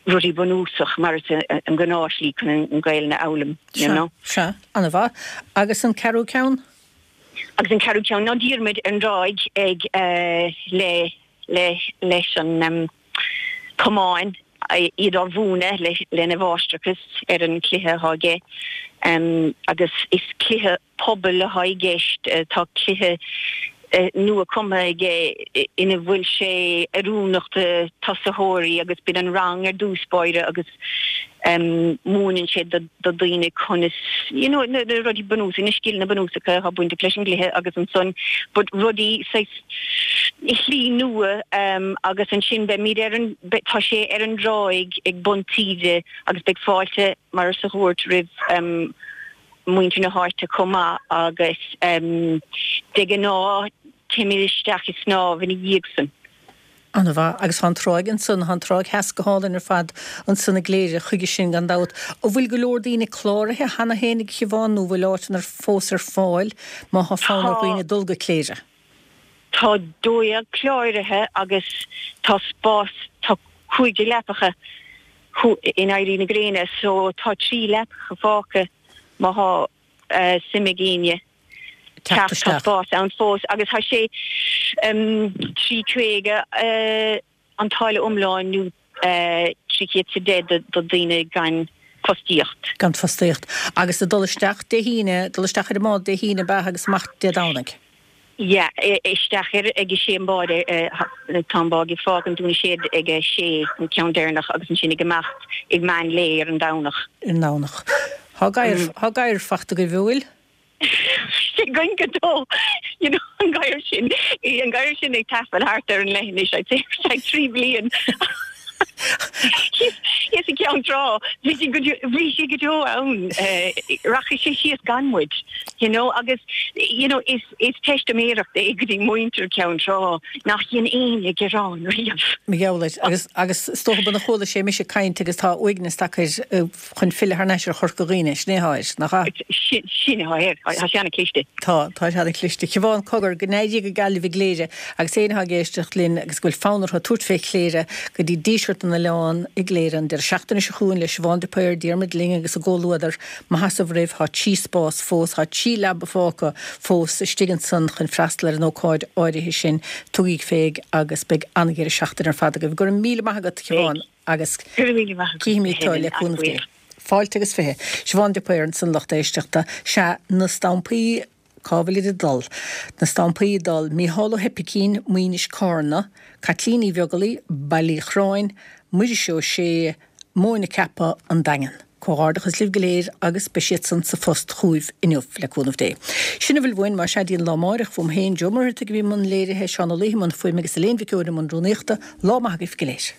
rudaí bunúsach mar is an gnáthshlí chun an Ghaelainn a fhoghlaim, you know. Sea, an-mhaith. Agus an ceathrú ceann? Agus an ceathrú ceann ná Diarmuid ar an dTráigh ag le le leis an camán iad á mhúineadh le lena mháistreachas ar an cluiche atá aige agus is cluiche pobail atá i gceist, tá cluiche nua cumtha aige ina bhfuil sé oiriúnach do tosaitheoirí agus bíonn an rang ar dtús báire agus múineann sé do dhaoine conas you know na rudaí bunúsacha, na scileanna bunúsacha atá bainteach leis an gcluiche agus ansan but rudaí saghas i shlí nua agus ansin beimid ar an tá sé ar an dtráigh ag Bun Taoide agus beidh fáilte mar is a dúirt roimh muintir na háite chomh maith agus de ghnáth téimid isteach ag snámh ina dhiaidh san. An-mhaith. Agus tá an tráigh ansan, tá an tráigh theas go hálainn ar fad ansan i gCléire chuige sin gan dabht. An bhfuil go leor daoine cláraithe cheana féin a Shiobhán nó bhfuil áiteanna fós ar fáil má thá fonn ar dhaoine dul go Cléire? Tá dó dhéag cláraithe agus tá spás, tá cúig déag leapacha in éirí na gréine so tá trí leapacha fágtha má thá suim ag éinne teacht tá spás ann fós agus tá sé trí caoga an táille iomlán nó trí chéad is a deich do daoine gan fostaíocht. Gan fostaíocht. Agus ag dul isteach Dé hAoine, dul isteach ar an mbád Dé hAoine ab ea agus amach Dé Domhnaigh? Yeah, isteach ar ag a sé an bád, tá an bád ag fágaint Dún na Séad ag a sé, an ceann deireanach, agus ansin ag imeacht ag meán lae ar an Domhnach. Ar an Domhnach. Thá gadhar, thá gadhar fachta agaibh, an bhfuil? Sé againn go deo, you know, an gadhar sin, an gadhar sin ag taifead thart ar an leithinis, I'd say, ar feadh trí bliain. Thíos i gCeann Trá, bhí sé go bhí sé go deo ann, rachaidh sé síos gan muid, you know, agus, you know, is is teistiméireacht é go dtí muintir Ceann Trá nach dhein éinne gearán riamh. Mar gheall air. Agus agus is dócha b'in a chuala sé mise ag caint agus tá uaigneas tagtha air chun filleadh thar n-ais ar Chorca Dhuibhne, sin é atá air, nach ea? Sin sin atá air. Tá sé ana-chliste. Tá, tá sé ana-chliste. Siobhán, cogar, go n-éirí go geal libh i gCléire agus éinne atá ag éisteacht linn agus go bhfuil fonn orthu tabhairt fé Chléire go dtí Díseart na nOileán i gCléire an deireadh seachtaine seo chugainn le Siobhán de Paor, Diarmuid Lyng agus a gcomhluadar. Maith as roimh, tá trí spás fós, tá trí leaba fágtha fós istigh ansan chun freastal ar an ócáid áirithe sin. Tugaigí fé agus beidh an-dheireadh seachtaine ar fad agaibh. Go raibh míle maith agat, a Shiobhán, agus Go raibh míle maith agat, cífimid tú le cúnamh Dé. Fáilte agus fiche. Siobhán de Paor ansan lucht éisteachta. Sea, na stampaí, cá bhfuilid ag dul? Na stampaí ag dul, Mícheál Ó hOipicín, Maínis Cárna, Caitlín Uí Bheaglaoi, Baile Uí Chorráin, Muiris Ó Sé, Móin na Ceapadh, An Daingean. Comhghairdeachas libh go léir agus beidh siad san sa phost chugaibh inniu, le cúnamh Dé. Sin a bhfuil uainn, más ea, dtí an lá amáireach, uaim féin, Joe Ó Muircheartaigh a bhí i mbun léirithe, Seán Ó Laoithe i mbun fuaime agus Elaine Mhic Eoin i mbun rúnaíochta. Lá maith agaibh go léir.